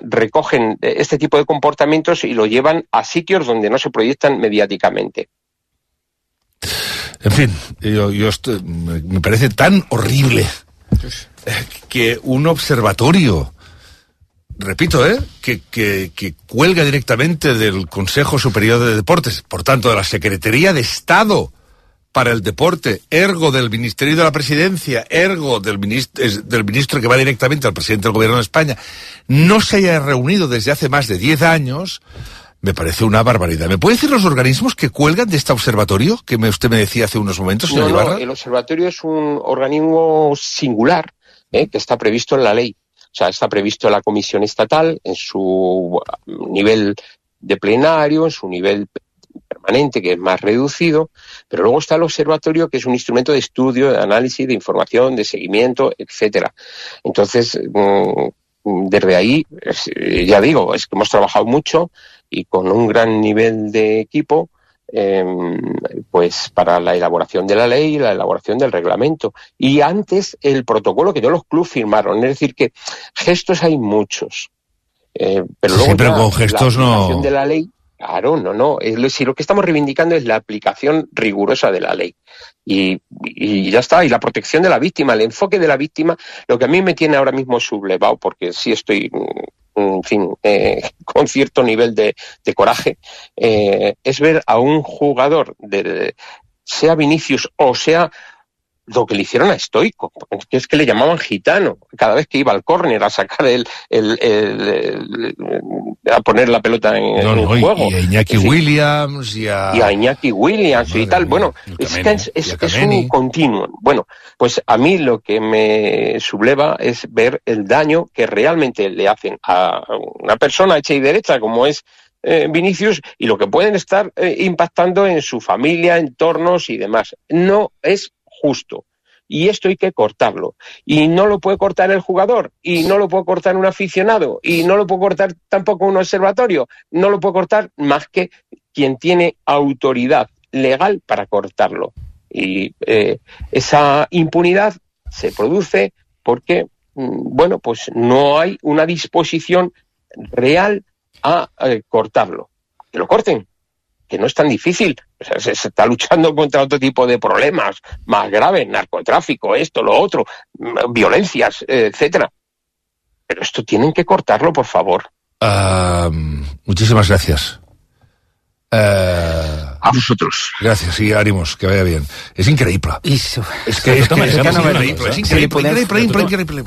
recogen este tipo de comportamientos y lo llevan a sitios donde no se proyectan mediáticamente. En fin, me parece tan horrible que un observatorio, repito, que cuelga directamente del Consejo Superior de Deportes, por tanto de la Secretaría de Estado para el Deporte, ergo del Ministerio de la Presidencia, ergo del ministro que va directamente al presidente del Gobierno de España, no se haya reunido desde hace más de 10 años... Me parece una barbaridad. ¿Me puede decir los organismos que cuelgan de este observatorio que usted me decía hace unos momentos, señor Ibarra? No, el observatorio es un organismo singular que está previsto en la ley. O sea, está previsto en la Comisión Estatal, en su nivel de plenario, en su nivel permanente, que es más reducido, pero luego está el observatorio, que es un instrumento de estudio, de análisis, de información, de seguimiento, etcétera. Entonces, desde ahí, ya digo, es que hemos trabajado mucho y con un gran nivel de equipo, pues para la elaboración de la ley y la elaboración del reglamento. Y antes el protocolo que todos los clubes firmaron, es decir, que gestos hay muchos. Pero luego sí, pero con gestos la aplicación de la ley, claro, no. Si lo que estamos reivindicando es la aplicación rigurosa de la ley. Y ya está, y la protección de la víctima, el enfoque de la víctima, lo que a mí me tiene ahora mismo sublevado, porque sí estoy, en fin, con cierto nivel de coraje, es ver a un jugador, sea Vinicius o sea lo que le hicieron a Stoico, que es que le llamaban gitano cada vez que iba al córner a sacar a poner la pelota en el juego. Y a Iñaki Williams y a Iñaki Williams y tal. Bueno, es un continuo. Bueno, pues a mí lo que me subleva es ver el daño que realmente le hacen a una persona hecha y derecha como es Vinicius, y lo que pueden estar impactando en su familia, entornos y demás. No es justo. y esto hay que cortarlo. Y no lo puede cortar el jugador, y no lo puede cortar un aficionado, y no lo puede cortar tampoco un observatorio, no lo puede cortar más que quien tiene autoridad legal para cortarlo. Y esa impunidad se produce porque, bueno, pues no hay una disposición real a cortarlo. Que lo corten, que no es tan difícil. O sea, se está luchando contra otro tipo de problemas más graves, narcotráfico, esto, lo otro, violencias, etcétera. Pero esto tienen que cortarlo, por favor. Muchísimas gracias. A vosotros. Gracias, sí, ánimos, que vaya bien. És increïble. És increïble.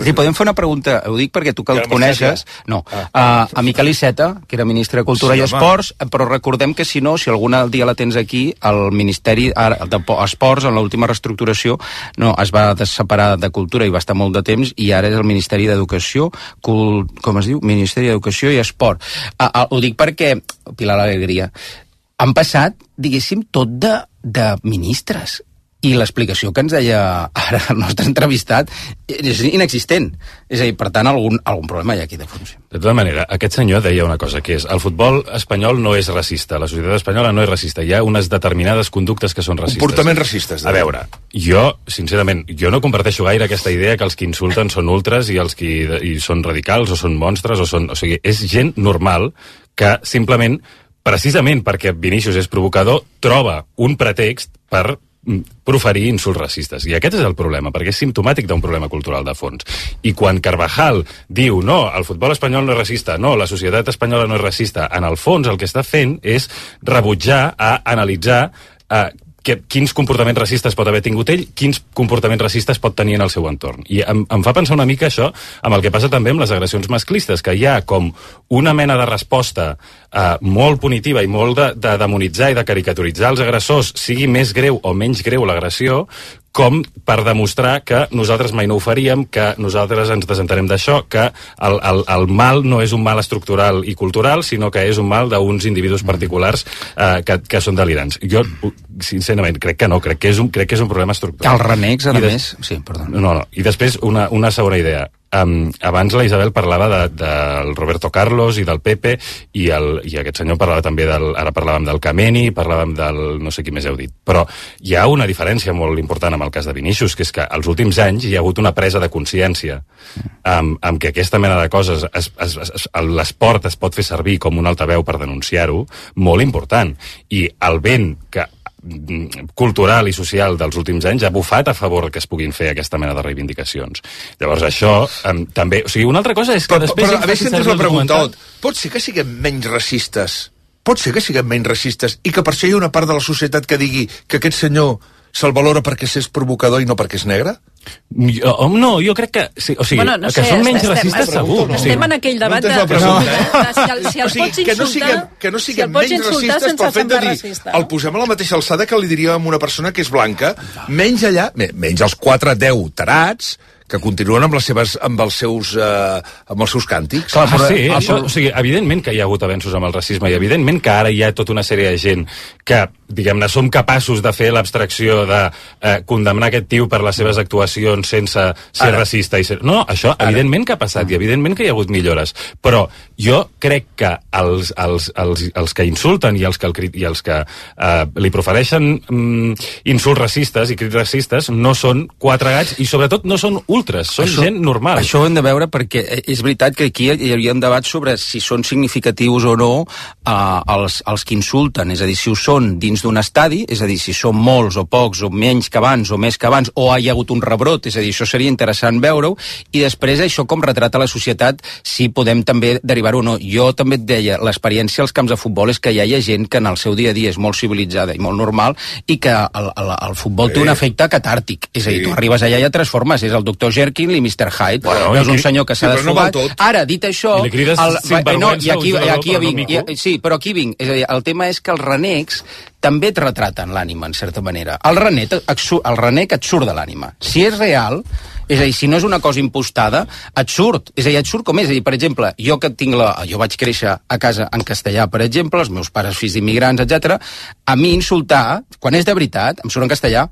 Si podem fer una pregunta, ho dic perquè tu que el coneixes, no, a Miquel Iceta, que era ministre de Cultura i Esports, però recordem que si no, si algun dia la tens aquí, el Ministeri d'Esports, en l'última reestructuració, no, es va separar de Cultura i va estar molt de temps, i ara és el Ministeri d'Educació, com es diu? Ministeri d'Educació i Esport. Ho dic perquè, Pilar l'Alegria, han passat, diguéssim, tot de ministres. I l'explicació que ens deia ara el nostre entrevistat és inexistent. És a dir, per tant, algun problema hi ha aquí de fons. De tota manera, aquest senyor deia una cosa, que és el futbol espanyol no és racista, la societat espanyola no és racista, hi ha unes determinades conductes que són racistes. Comportaments racistes. A veure, jo, sincerament, jo no comparteixo gaire aquesta idea que els que insulten són ultres i els que són radicals o són monstres, o sigui, és gent normal que simplement, precisament perquè Vinícius és provocador, troba un pretext per proferir insults racistes. I aquest és el problema, perquè és simptomàtic d'un problema cultural de fons. I quan Carvajal diu no, el futbol espanyol no és racista, no, la societat espanyola no és racista, en el fons el que està fent és rebutjar a analitzar quins comportaments racistes pot haver tingut ell, quins comportaments racistes pot tenir en el seu entorn. I em fa pensar una mica això amb el que passa també amb les agressions masclistes, que hi ha com una mena de resposta molt punitiva i molt de demonitzar i de caricaturitzar els agressors, sigui més greu o menys greu l'agressió, com per demostrar que nosaltres mai no ho faríem, que nosaltres ens desentenem d'això, que el mal no és un mal estructural i cultural, sinó que és un mal d'uns individus particulars que són delirants. Jo, sincerament, crec que no, crec que és un problema estructural. El renecs, a més... Sí, perdó. No. I després, una segona idea. Abans la Isabel parlava del Roberto Carlos i del Pepe i aquest senyor parlava també ara parlàvem del Kameni, parlàvem del no sé qui més heu dit, però hi ha una diferència molt important amb el cas de Vinícius, que és que als últims anys hi ha hagut una presa de consciència amb que aquesta mena de coses l'esport es pot fer servir com un altaveu per denunciar-ho, molt important, i el vent que cultural i social dels últims anys ha bufat a favor que es puguin fer aquesta mena de reivindicacions. Llavors això també... O sigui, una altra cosa és que després... Però a veure si entens la pregunta, pot ser que siguem menys racistes? Pot ser que siguem menys racistes i que per això hi ha una part de la societat que digui que aquest senyor se'l valora perquè és provocador i no perquè és negre? No, jo crec que... Sí, o sigui, no sé, que són menys racistes segur. Estem en aquell debat si el pots insultar... Que no siguem menys racistes pel fet de dir el posem a la mateixa alçada que li diríem a una persona que és blanca, menys allà, menys els 4-10 tarats que continuen amb els seus càntics. Clar, això, o sigui, evidentment que hi ha hagut avenços amb el racisme i evidentment que ara hi ha tota una sèrie de gent que, diguem-ne, som capaços de fer l'abstracció de condemnar aquest tio per les seves actuacions sense ser racista. No, això evidentment que ha passat i evidentment que hi ha hagut millores. Però jo crec que els que insulten i els que li profereixen insults racistes i crits racistes no són quatre gats i sobretot no són ultres, són gent normal. Això ho hem de veure perquè és veritat que aquí hi havia un debat sobre si són significatius o no els que insulten, és a dir, si ho són dins d'un estadi, és a dir, si són molts o pocs o menys que abans o més que abans o hi ha hagut un rebrot, és a dir, això seria interessant veure-ho i després això com retrata la societat si podem també derivar-ho o no. Jo també et deia, l'experiència als camps de futbol és que hi ha gent que en el seu dia a dia és molt civilitzada i molt normal i que el futbol té un efecte catàrtic, és a dir, tu arribes allà i et transformes, és el Dr. Jekyll i Mr. Hyde. Bueno, veus un senyor que s'ha desfogat. Ara, dit això... I li crides aquí vinc. Sí, però aquí vinc. És a dir, el tema és que els renecs també et retraten l'ànima, en certa manera. El renec et surt de l'ànima. Si és real, és a dir, si no és una cosa impostada, et surt. És a dir, et surt com és. És a dir, per exemple, jo vaig créixer a casa en castellà, per exemple, els meus pares fills d'immigrants, etc. A mi insultar, quan és de veritat, em surt en castellà.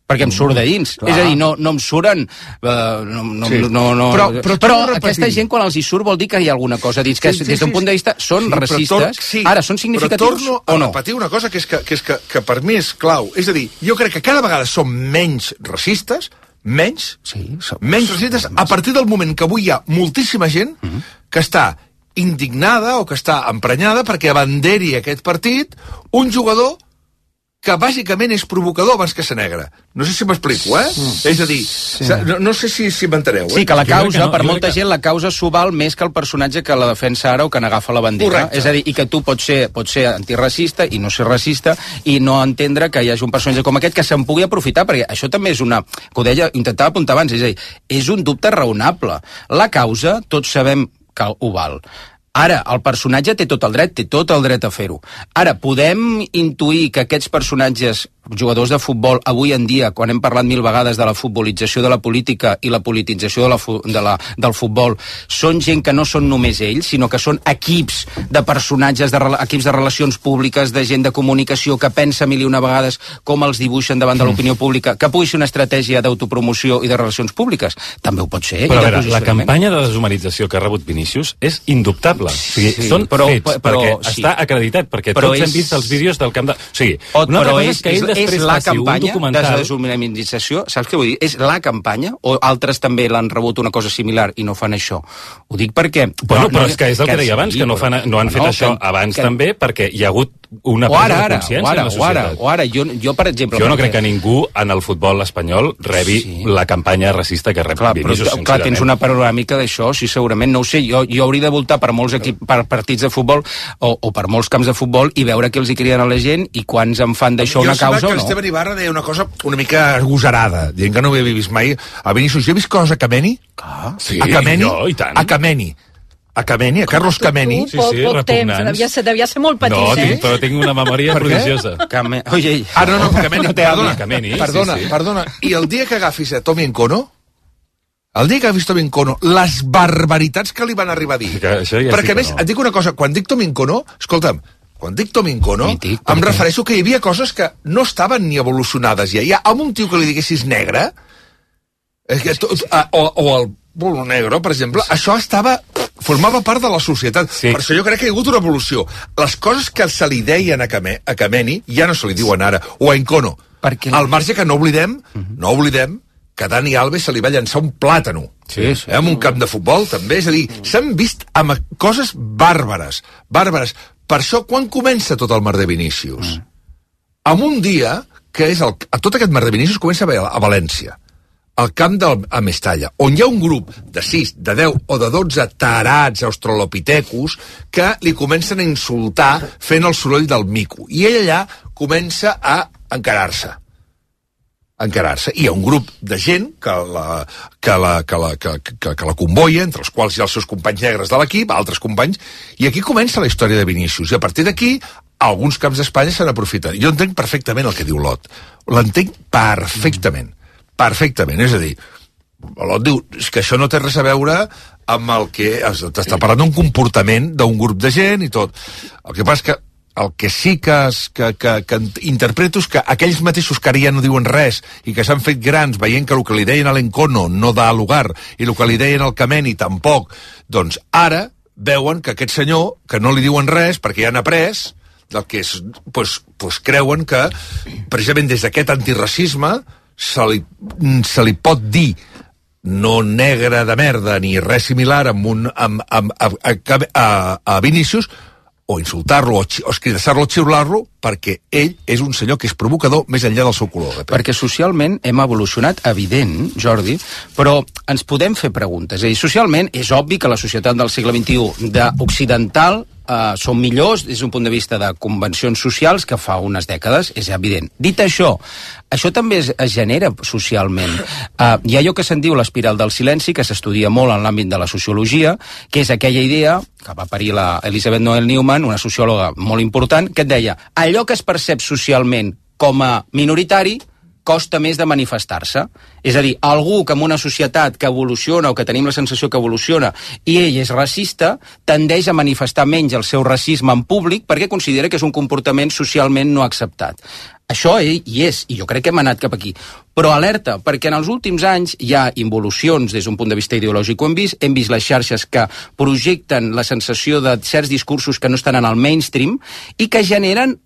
perquè em surt de dins. És a dir, no em suren... Però aquesta gent, quan els hi surt, vol dir que hi ha alguna cosa dins, que des d'un punt de vista són racistes. Ara, són significatius o no? Però torno a repetir una cosa que per mi és clau. És a dir, jo crec que cada vegada som menys racistes, menys racistes, a partir del moment que avui hi ha moltíssima gent que està indignada o que està emprenyada perquè abanderi aquest partit un jugador que bàsicament és provocador abans que ser negre. No sé si m'explico, És a dir, no sé si m'enteneu, Sí, que la causa, per molta gent, la causa s'ho val més que el personatge que la defensa ara o que n'agafa la bandera. Correcte. És a dir, i que tu pots ser antiracista i no ser racista i no entendre que hi hagi un personatge com aquest que se'n pugui aprofitar, perquè això també és una... que ho deia, intentava apuntar abans, és a dir, és un dubte raonable. La causa, tots sabem que ho val. Ara, el personatge té tot el dret a fer-ho. Ara, podem intuir que aquests personatges, jugadors de futbol, avui en dia, quan hem parlat 1000 vegades de la futbolització de la política i la politització del futbol, són gent que no són només ells, sinó que són equips de personatges, equips de relacions públiques, de gent de comunicació que pensa 1000 i una vegades com els dibuixen davant de l'opinió pública, que pugui ser una estratègia d'autopromoció i de relacions públiques. També ho pot ser. Però a veure, la campanya de deshumanització que ha rebut Vinícius és indubtable. O sigui, són fets, perquè està acreditat, perquè tots hem vist els vídeos del camp de... O sigui, una altra cosa és que ell després faci un documental... de deshumanització, saps què vull dir? És la campanya, o altres també l'han rebut una cosa similar i no fan això? Ho dic perquè... Bueno, però és que és el que deia abans, que no han fet això abans també, perquè hi ha hagut una presa de consciència en la societat. O ara, jo per exemple... Jo no crec que ningú en el futbol espanyol rebi la campanya racista que rep Vinícius, sincerament. Clar, tens una panoràmica d'això, sí, segurament, no ho sé, jo hauria de voltar per molts per partits de futbol o per molts camps de futbol i veure què els hi criden a la gent i quants en fan d'això una causa o no. Jo que l'Esteban Ibarra deia una cosa una mica agosarada, dient que no ho havia vist mai a Vinícius. Jo he vist coses a Kameni? Sí, a Kameni? Jo, i tant. A Kameni, a Carlos Kameni. Sí, repugnants. Devia ser molt petit, però tinc una memòria prodigiosa. Oye, no, Kameni, perdona. I el dia que agafis a Tommy Nkono, les barbaritats que li van arribar a dir. Perquè, a més, et dic una cosa, quan dic Tommy Nkono, escolta'm, em refereixo que hi havia coses que no estaven ni evolucionades ja. Amb un tio que li diguessis negre, o el bolo negro, per exemple, això formava part de la societat. Per això jo crec que hi ha hagut una evolució. Les coses que se li deien a Kameni ja no se li diuen ara, o a Nkono. Al marge que no oblidem que Dani Alves se li va llançar un plàtano. En un camp de futbol, també. És a dir, s'han vist amb coses bàrbares. Per això, quan comença tot el merder Vinícius? En un dia, que és tot aquest merder Vinícius comença a València, al camp a Mestalla, on hi ha un grup de 6, de 10 o de 12 tarats australopitecus que li comencen a insultar fent el soroll del mico. I ell allà comença a encarar-se. Hi ha un grup de gent que la convoia, entre els quals hi ha els seus companys negres de l'equip, altres companys, i aquí comença la història de Vinícius. I a partir d'aquí, alguns camps d'Espanya se n'aprofiten. Jo entenc perfectament el que diu Lot. L'entenc perfectament. És a dir, Lot diu que això no té res a veure amb el que... T'està parlant d'un comportament d'un grup de gent i tot. El que passa és que el que sí que interpreto és que aquells mateixos que ara ja no diuen res i que s'han fet grans veient que el que li deien a l'Nkono no da lugar i el que li deien al Kameni tampoc, doncs ara veuen que aquest senyor, que no li diuen res perquè ja han après, del que és, doncs creuen que precisament des d'aquest antiracisme se li pot dir no negre de merda ni res similar a Vinícius, o insultar-lo, o escridassar-lo, o xiular-lo, perquè ell és un senyor que és provocador més enllà del seu color. Perquè socialment hem evolucionat, evident, Jordi, però ens podem fer preguntes. És a dir, socialment és obvi que la societat del segle XXI d'occidental són millors des d'un punt de vista de convencions socials que fa unes dècades, és evident. Dit això també es genera socialment. Hi ha allò que se'n diu l'espiral del silenci, que s'estudia molt en l'àmbit de la sociologia, que és aquella idea que va parir la Elisabeth Noel Neumann, una sociòloga molt important, que et deia, allò que es percep socialment com a minoritari costa més de manifestar-se. És a dir, algú que en una societat que evoluciona o que tenim la sensació que evoluciona i ell és racista, tendeix a manifestar menys el seu racisme en públic perquè considera que és un comportament socialment no acceptat. Això hi és, i jo crec que hem anat cap aquí. Però alerta, perquè en els últims anys hi ha involucions des d'un punt de vista ideològic. Ho hem vist les xarxes que projecten la sensació de certs discursos que no estan en el mainstream i que generen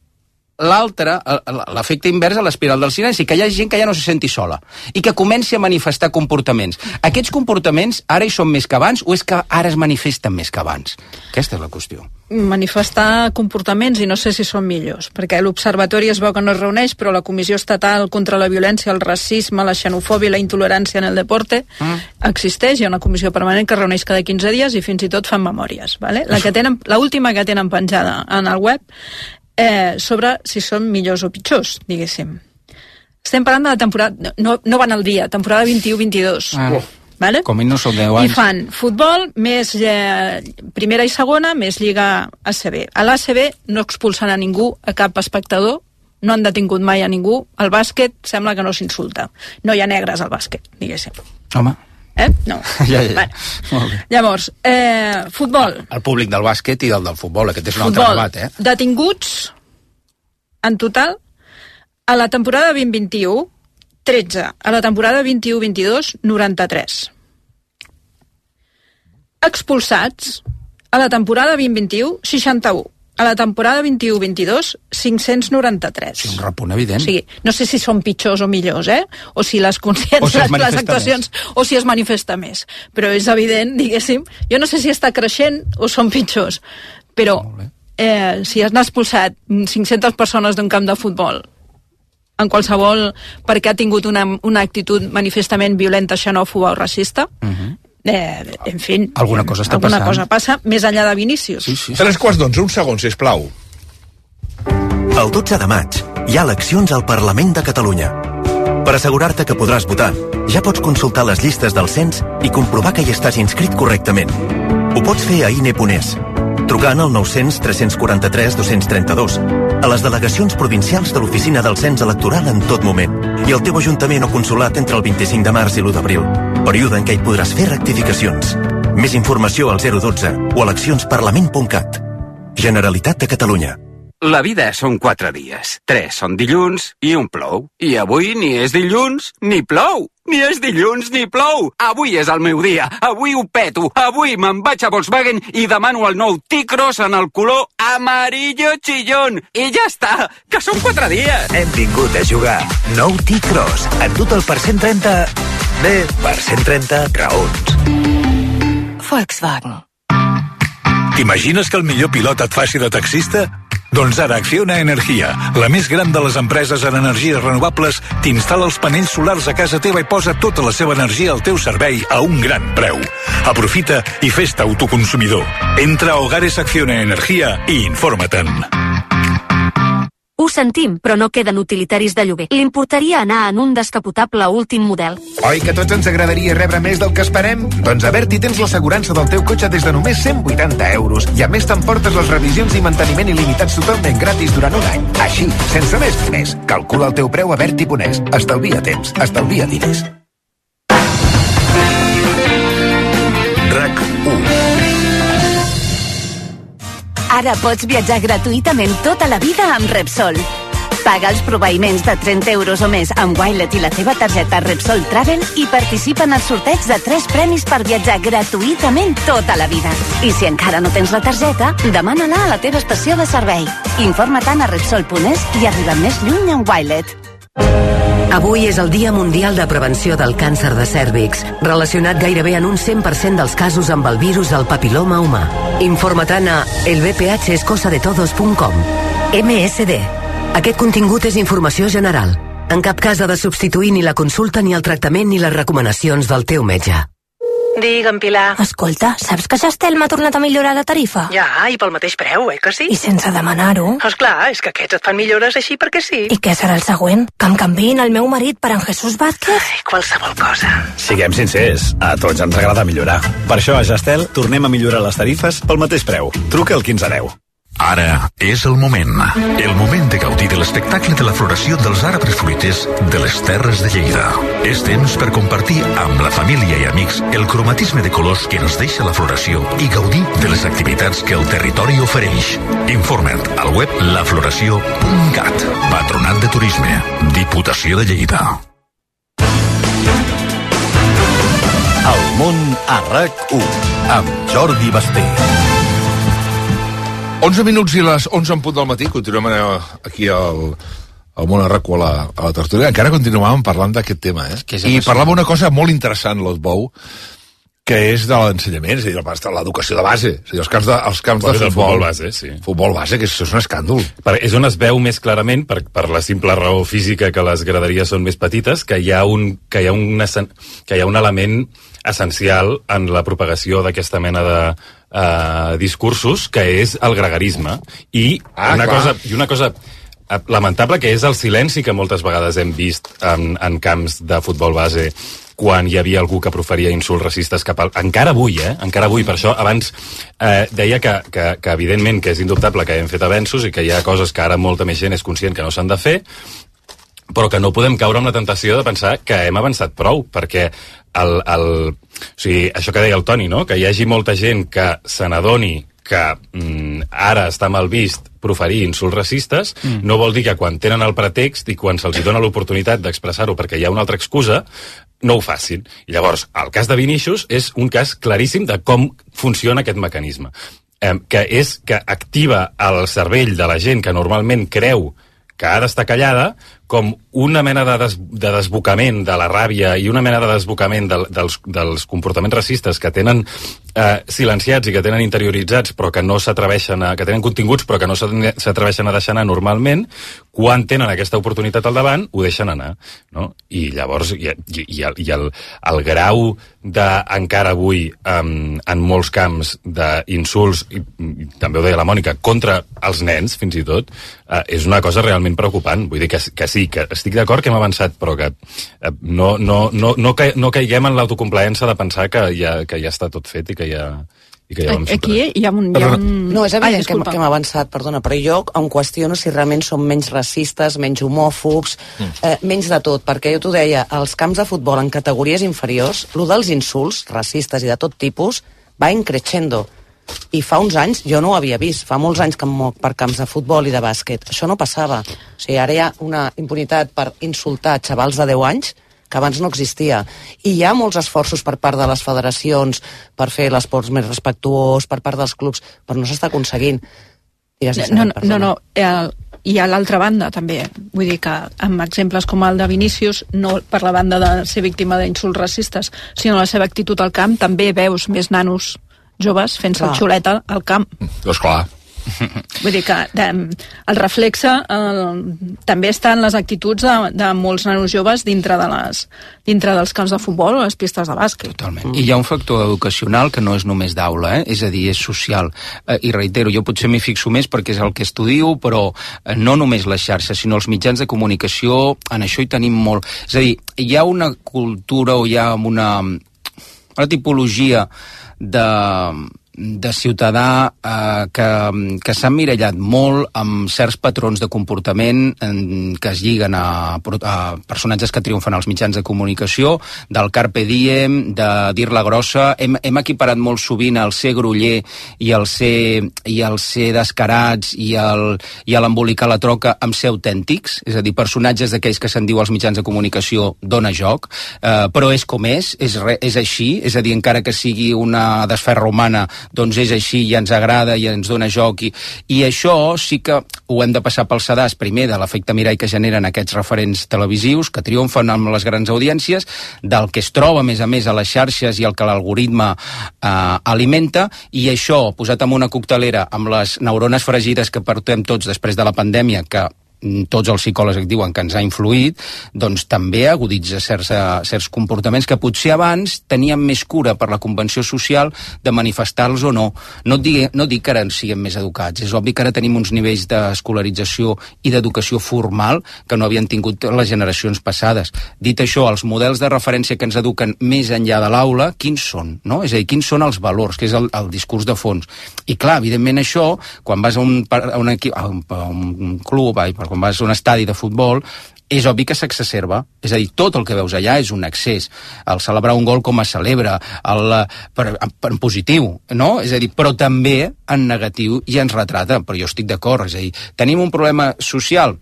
l'efecte invers a l'espiral del silenci, que hi ha gent que ja no se senti sola i que comenci a manifestar comportaments. Aquests comportaments ara hi són més que abans o és que ara es manifesten més que abans? Aquesta és la qüestió. Manifestar comportaments i no sé si són millors, perquè l'Observatori es veu que no es reuneix, però la Comissió Estatal contra la Violència, el Racisme, la Xenofòbia i la Intolerància en el Deporte existeix, hi ha una comissió permanent que es reuneix cada 15 dies i fins i tot fan memòries. Vale? L'última que tenen penjada en el web sobre si són millors o pitjors, diguéssim. Estem parlant de la temporada, no van al dia, temporada 21-22. Vale? Com no són 10 anys. I fan futbol, més primera i segona, més Lliga ACB. A l'ACB no expulsen a ningú, a cap espectador, no han detingut mai a ningú. El bàsquet sembla que no s'insulta. No hi ha negres al bàsquet, diguéssim. Home. No. Ja. Vale. Llavors, futbol. El públic del bàsquet i del futbol, aquest és un altre debat, Detinguts, en total, a la temporada 2021, 13. A la temporada 21-22, 93. Expulsats, a la temporada 2021, 61. A la temporada 21-22, 593. És un repunt evident. O sigui, no sé si són pitjors o millors, o si les consciències, les actuacions, o si es manifesta més. Però és evident, diguéssim, jo no sé si està creixent o són pitjors, però si has expulsat 500 persones d'un camp de futbol en qualsevol perquè ha tingut una actitud manifestament violenta, xenòfoba o racista, en fi, alguna cosa està alguna cosa passa més enllà de Vinícius. Sí. 3:15, un segon, sisplau. El 12 de maig hi ha eleccions al Parlament de Catalunya. Per assegurar-te que podràs votar, ja pots consultar les llistes del cens i comprovar que hi estàs inscrit correctament. Ho pots fer a INE.es, trucant al 900 343 232, a les delegacions provincials de l'Oficina del Cens Electoral en tot moment, i al teu ajuntament o consulat entre el 25 de març i l'1 d'abril, període en què hi podràs fer rectificacions. Més informació al 012 o eleccionsparlament.cat. Generalitat de Catalunya. La vida són 4 dies. 3 són dilluns i un plou. I avui ni és dilluns ni plou. Ni és dilluns ni plou. Avui és el meu dia. Avui ho peto. Avui me'n vaig a Volkswagen i demano el nou T-Cross en el color amarillo chillón. I ja està, que són 4 dies. Hem vingut a jugar. Nou T-Cross. Et dut el per 130... Bé, per 130 raons. Volkswagen. T'imagines que el millor pilot et faci de taxista? Doncs ara Acciona Energia, la més gran de les empreses en energies renovables, t'instal·la els panells solars a casa teva i posa tota la seva energia al teu servei a un gran preu. Aprofita i fes-te autoconsumidor. Entra a Hogares Acciona Energia i informa-te'n. Ho sentim, però no queden utilitaris de lloguer. Li importaria anar en un descapotable últim model. Oi que a tots ens agradaria rebre més del que esperem? Doncs a Berti tens l'assegurança del teu cotxe des de només 180 euros. I a més t'emportes les revisions i manteniment il·limitats totalment gratis durant un any. Així, sense més diners. Calcula el teu preu a Berti.es. Estalvia temps, estalvia diners. RAC 1. Ara pots viatjar gratuïtament tota la vida amb Repsol. Paga els proveïments de 30 euros o més amb Wilet i la teva targeta Repsol Travel i participa en el sorteig de 3 premis per viatjar gratuïtament tota la vida. I si encara no tens la targeta, demana-la a la teva estació de servei. Informa-te'n a Repsol.es i arriba més lluny amb Wilet. Avui és el Dia Mundial de Prevenció del Càncer de Cèrvix, relacionat gairebé en un 100% dels casos amb el virus del papiloma humà. Informa-te'n a elbphescosadetodos.com. MSD. Aquest contingut és informació general. En cap cas ha de substituir ni la consulta, ni el tractament, ni les recomanacions del teu metge. Digue'm, Pilar. Escolta, saps que Gestel m'ha tornat a millorar la tarifa? Ja, i pel mateix preu, que sí? I sense demanar-ho? Esclar, és que aquests et fan millores així perquè sí. I què serà el següent? Que em canviïn el meu marit per en Jesús Vázquez? Ai, qualsevol cosa. Siguem sincers, a tots ens agrada millorar. Per això a Gestel tornem a millorar les tarifes pel mateix preu. Truca al 1510. Ara és el moment de gaudir de l'espectacle de la floració dels arbres fruiters de les Terres de Lleida. És temps per compartir amb la família i amics el cromatisme de colors que ens deixa la floració i gaudir de les activitats que el territori ofereix. Informa't al web lafloració.cat. Patronat de Turisme, Diputació de Lleida. El món a RAC1 amb Jordi Basté. 11 minuts i les 11 en punt del matí. Continuem aquí al món a RAC1 a la tertúlia. Encara continuàvem parlant d'aquest tema, I parlava una cosa molt interessant, l'Otbou, que és de l'ensenyament, és a dir, l'educació de base, és a dir, els camps de futbol base, sí. Futbol base, que això és un escàndol. És on es veu més clarament, per la simple raó física que les graderies són més petites, que hi ha un element essencial en la propagació d'aquesta mena de discursos, que és el gregarisme. I una cosa lamentable, que és el silenci que moltes vegades hem vist en camps de futbol base quan hi havia algú que proferia insults racistes cap al... Encara avui, per això abans deia que evidentment que és indubtable que hem fet avenços i que hi ha coses que ara molta més gent és conscient que no s'han de fer, però que no podem caure en la tentació de pensar que hem avançat prou, perquè o sigui, això que deia el Toni, no? Que hi hagi molta gent que se n'adoni que ara està mal vist proferir insults racistes, no vol dir que quan tenen el pretext i quan se'ls dona l'oportunitat d'expressar-ho perquè hi ha una altra excusa, no ho facin. I llavors, el cas de Vinícius és un cas claríssim de com funciona aquest mecanisme, que és que activa el cervell de la gent que normalment creu que ha d'estar callada, com una mena de desbocament de la ràbia i una mena de desbocament dels comportaments racistes que tenen silenciats i que tenen interioritzats però que no s'atreveixen que tenen continguts però que no s'atreveixen a deixar anar normalment, quan tenen aquesta oportunitat al davant, ho deixen anar, no? I llavors el grau encara avui en molts camps d'insults, i també ho deia la Mònica, contra els nens fins i tot, és una cosa realment preocupant. Vull dir que sí, que estic d'acord que hem avançat, però que no caiguem en l'autocomplaença de pensar que ja està tot fet i que ja vam superar. Aquí hi ha un... No, és evident que hem avançat, perdona, però jo em qüestiono si realment som menys racistes, menys homòfobs, menys de tot, perquè jo t'ho deia, als camps de futbol en categories inferiors, lo dels insults racistes i de tot tipus va increixendo. I fa uns anys jo no ho havia vist, fa molts anys que em moc per camps de futbol i de bàsquet, això no passava. O sigui, ara hi ha una impunitat per insultar xavals de 10 anys que abans no existia. I hi ha molts esforços per part de les federacions per fer l'esport més respectuós, per part dels clubs, però no s'està aconseguint. No. I a l'altra banda també, vull dir que amb exemples com el de Vinícius, no per la banda de ser víctima d'insults racistes, sinó la seva actitud al camp, també veus més nanos joves fent-se el xuleta al camp. Doncs clar. Vull dir que el reflexe també està en les actituds de molts nanos joves dintre dels camps de futbol o les pistes de bàsquet. Totalment. I hi ha un factor educacional que no és només d'aula, és a dir, és social. I reitero, jo potser m'hi fixo més perquè és el que estudio, però no només les xarxes, sinó els mitjans de comunicació, en això hi tenim molt. És a dir, hi ha una cultura o hi ha una tipologia de ciutadà que s'ha emmirallat molt amb certs patrons de comportament que es lliguen a personatges que triomfen als mitjans de comunicació, del carpe diem, de dir-la grossa. Hem equiparat molt sovint el ser groller i el ser descarats i l'embolicar la troca amb ser autèntics, és a dir, personatges d'aquells que se'n diu als mitjans de comunicació dona joc, però és com és així, és a dir, encara que sigui una desferra humana, doncs és així i ens agrada i ens dona joc i això sí que ho hem de passar pel sedàs primer de l'efecte mirall que generen aquests referents televisius que triomfen amb les grans audiències, del que es troba a més a les xarxes i el que l'algoritme alimenta, i això posat en una coctelera amb les neurones fregides que portem tots després de la pandèmia, que tots els psicòlegs que diuen que ens ha influït, doncs també aguditza certs comportaments que potser abans tenien més cura per la convenció social de manifestar-los o no. No dic que ara siguem més educats, és obvi que ara tenim uns nivells d'escolarització i d'educació formal que no havien tingut les generacions passades. Dit això, els models de referència que ens eduquen més enllà de l'aula, quins són? No? És a dir, quins són els valors, que és el discurs de fons. I clar, evidentment això, quan vas a un club, quan vas a un estadi de futbol, és obvi que s'exacerba. És a dir, tot el que veus allà és un excés. El celebrar un gol com es celebra, en positiu, no? És a dir, però també en negatiu i ens retrata, però jo estic d'acord. És a dir, tenim un problema social,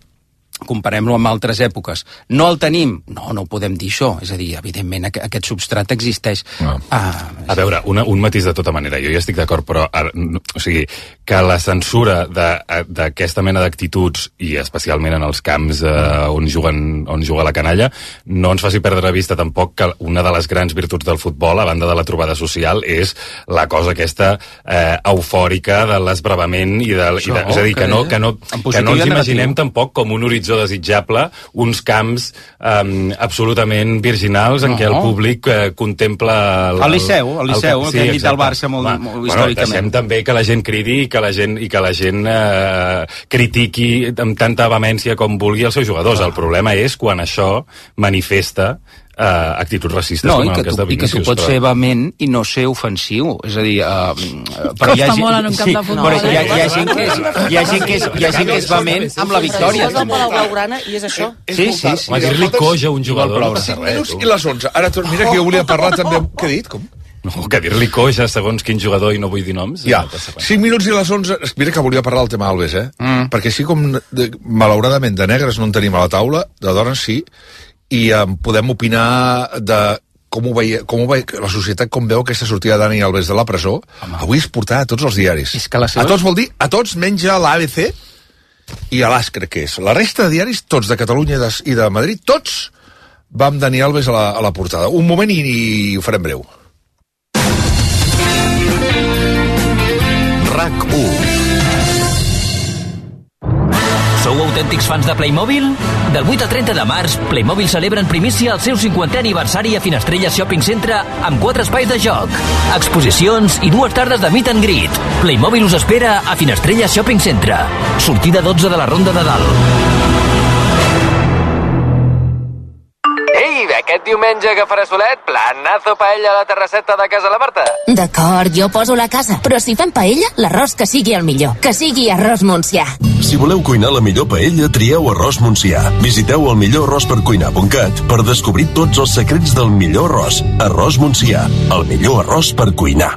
comparem-lo amb altres èpoques. No el tenim? No ho podem dir això. És a dir, evidentment, aquest substrat existeix. No. A veure, un matís de tota manera. Jo ja estic d'acord, però o sigui, que la censura d'aquesta mena d'actituds, i especialment en els camps on juga la canalla, no ens faci perdre vista tampoc que una de les grans virtuts del futbol, a banda de la trobada social, és la cosa aquesta eufòrica de l'esbravament és a dir, que no ens imaginem tampoc com un horitzó desitjable, uns camps absolutament virginals en què el públic contempla... El Liceu, que hem dit al Barça molt històricament. Deixem també que la gent cridi i que la gent critiqui amb tanta vehemència com vulgui els seus jugadors. El problema és quan això manifesta actituds racistes com el cas de Vinícius. I que tu pots ser vehement i no ser ofensiu. És a dir... Costa molt en un camp de futbol. Hi ha gent que és vehement amb la victòria. Això és el Palau Blaugrana i és això. Sí. Dir-li coix a un jugador. 5 minuts i les 11. Ara, mira que jo volia parlar també... Què he dit? Com? No, que dir-li coix a segons quin jugador i no vull dir noms. Ja, 5 minuts i les 11... Mira que volia parlar del tema Alves, perquè així com, malauradament, de negres no en tenim a la taula, de dones sí, i podem opinar de com ho veia la societat, com veu aquesta sortida de Dani Alves de la presó. Avui es portarà a tots els diaris. A tots vol dir, a tots menys a l'ABC i a l'AS, crec que és. La resta de diaris, tots de Catalunya i de Madrid, tots va amb Dani Alves a la portada. Un moment i ho farem breu. RAC1. Sou autèntics fans de Playmobil? Del 8 al 30 de març, Playmobil celebra en primícia el seu 50è aniversari a Finestrella Shopping Centre amb 4 espais de joc, exposicions i 2 tardes de meet and greet. Playmobil us espera a Finestrella Shopping Centre. Sortida 12 de la Ronda de Dalt. Aquest diumenge que farà solet, planazo paella a la terrasseta de casa la Marta. D'acord, jo poso la casa, però si fan paella, l'arròs que sigui el millor, que sigui arròs Montsià. Si voleu cuinar la millor paella, trieu arròs Montsià. Visiteu el millorarròspercuinar.cat per descobrir tots els secrets del millor arròs. Arròs Montsià, el millor arròs per cuinar.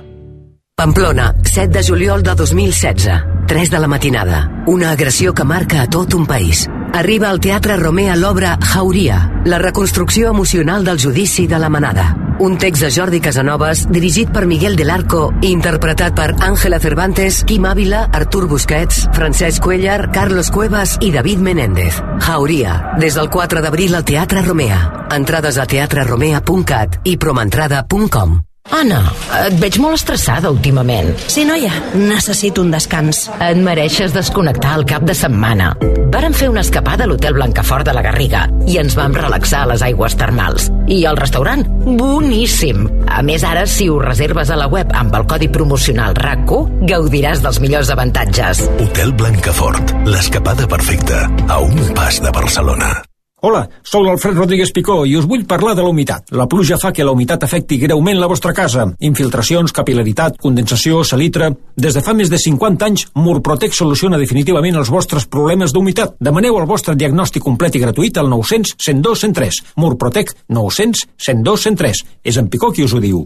Pamplona, 7 de juliol de 2016, 3 de la matinada. Una agressió que marca a tot un país. Arriba al Teatre Romea l'obra Jauria, la reconstrucció emocional del judici de la Manada. Un text de Jordi Casanovas, dirigit per Miguel del Arco i interpretat per Ángela Cervantes, Quim Ávila, Artur Busquets, Francesc Cuellar, Carlos Cuevas i David Menéndez. Jauria, des del 4 d'abril al Teatre Romea. Entrades a teatreromea.cat i promentrada.com. Anna, et veig molt estressada últimament. Sí, noia, necessito un descans. Et mereixes desconnectar el cap de setmana. Vàrem fer una escapada a l'Hotel Blancafort de la Garriga i ens vam relaxar a les aigües termals. I el restaurant, boníssim. A més, ara, si ho reserves a la web amb el codi promocional RAC1, gaudiràs dels millors avantatges. Hotel Blancafort, l'escapada perfecta a un pas de Barcelona. Hola, sou l'Alfred Rodríguez Picó i us vull parlar de la humitat. La pluja fa que la humitat afecti greument la vostra casa. Infiltracions, capil·laritat, condensació, salitre... Des de fa més de 50 anys, Murprotec soluciona definitivament els vostres problemes d'humitat. Demaneu el vostre diagnòstic complet i gratuït al 900 102 103. Murprotec 900 102 103. És en Picó qui us ho diu.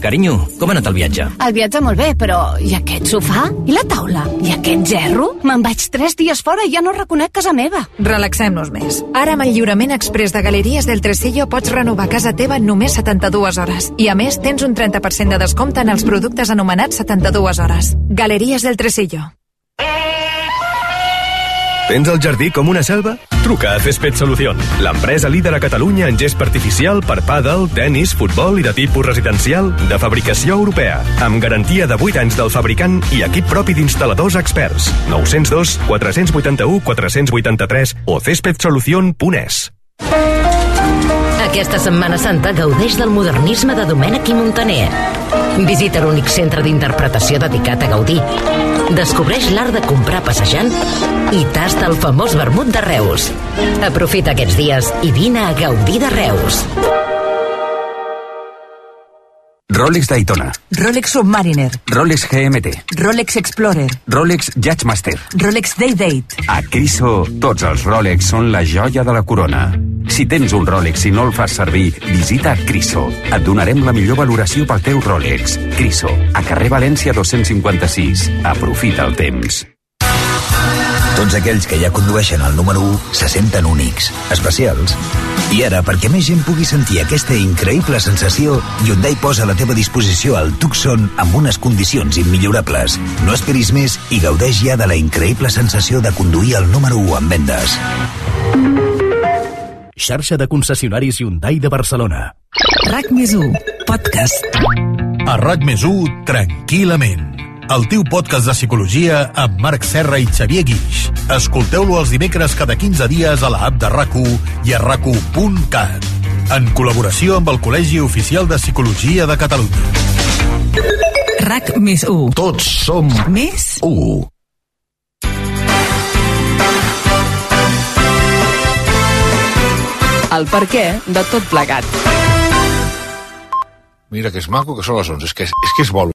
Carinyo, com ha anat el viatge? El viatge molt bé, però i aquest sofà? I la taula? I aquest gerro? Me'n vaig 3 dies fora i ja no reconec casa meva. Relaxem-nos més. Ara amb el lliurament express de Galeries del Tresillo pots renovar casa teva en només 72 hores. I a més tens un 30% de descompte en els productes anomenats 72 hores. Galeries del Tresillo. Tens el jardí com una selva? Truca a Césped Solución, l'empresa líder a Catalunya en gest artificial per pàdel, tenis, futbol i de tipus residencial de fabricació europea, amb garantia de 8 anys del fabricant i equip propi d'instal·ladors experts. 902 481 483 o cespedsolucion.es. Aquesta Setmana Santa gaudeix del modernisme de Domènech i Montaner. Visita l'únic centre d'interpretació dedicat a gaudir. Descobreix l'art de comprar passejant i tasta el famós vermut de Reus. Aprofita aquests dies i vine a gaudir de Reus. Rolex Daytona, Rolex Submariner, Rolex GMT, Rolex Explorer, Rolex Judgemaster, Rolex Day-Date. A Criso, tots els Rolex són la joia de la corona. Si tens un Rolex i no el fas servir, visita Criso. Et donarem la millor valoració pel teu Rolex. Criso, a carrer València 256. Aprofita el temps. Tots aquells que ja condueixen el número 1 se senten únics, especials. I ara, perquè més gent pugui sentir aquesta increïble sensació, Hyundai posa a la teva disposició el Tucson amb unes condicions immillorables. No esperis més i gaudeix ja de la increïble sensació de conduir el número 1 en vendes. Xarxa de concessionaris Hyundai de Barcelona. RAC+1, podcast. A RAC+1, tranquil·lament. El teu podcast de psicologia amb Marc Serra i Xavier Guix. Escolteu-lo els dimecres cada 15 dies a la app de RAC1 i a RAC1.cat. En col·laboració amb el Col·legi Oficial de Psicologia de Catalunya. RAC+1. Tots som més 1. El perquè de tot plegat. Mira que és maco que són les 11, és que és bolo.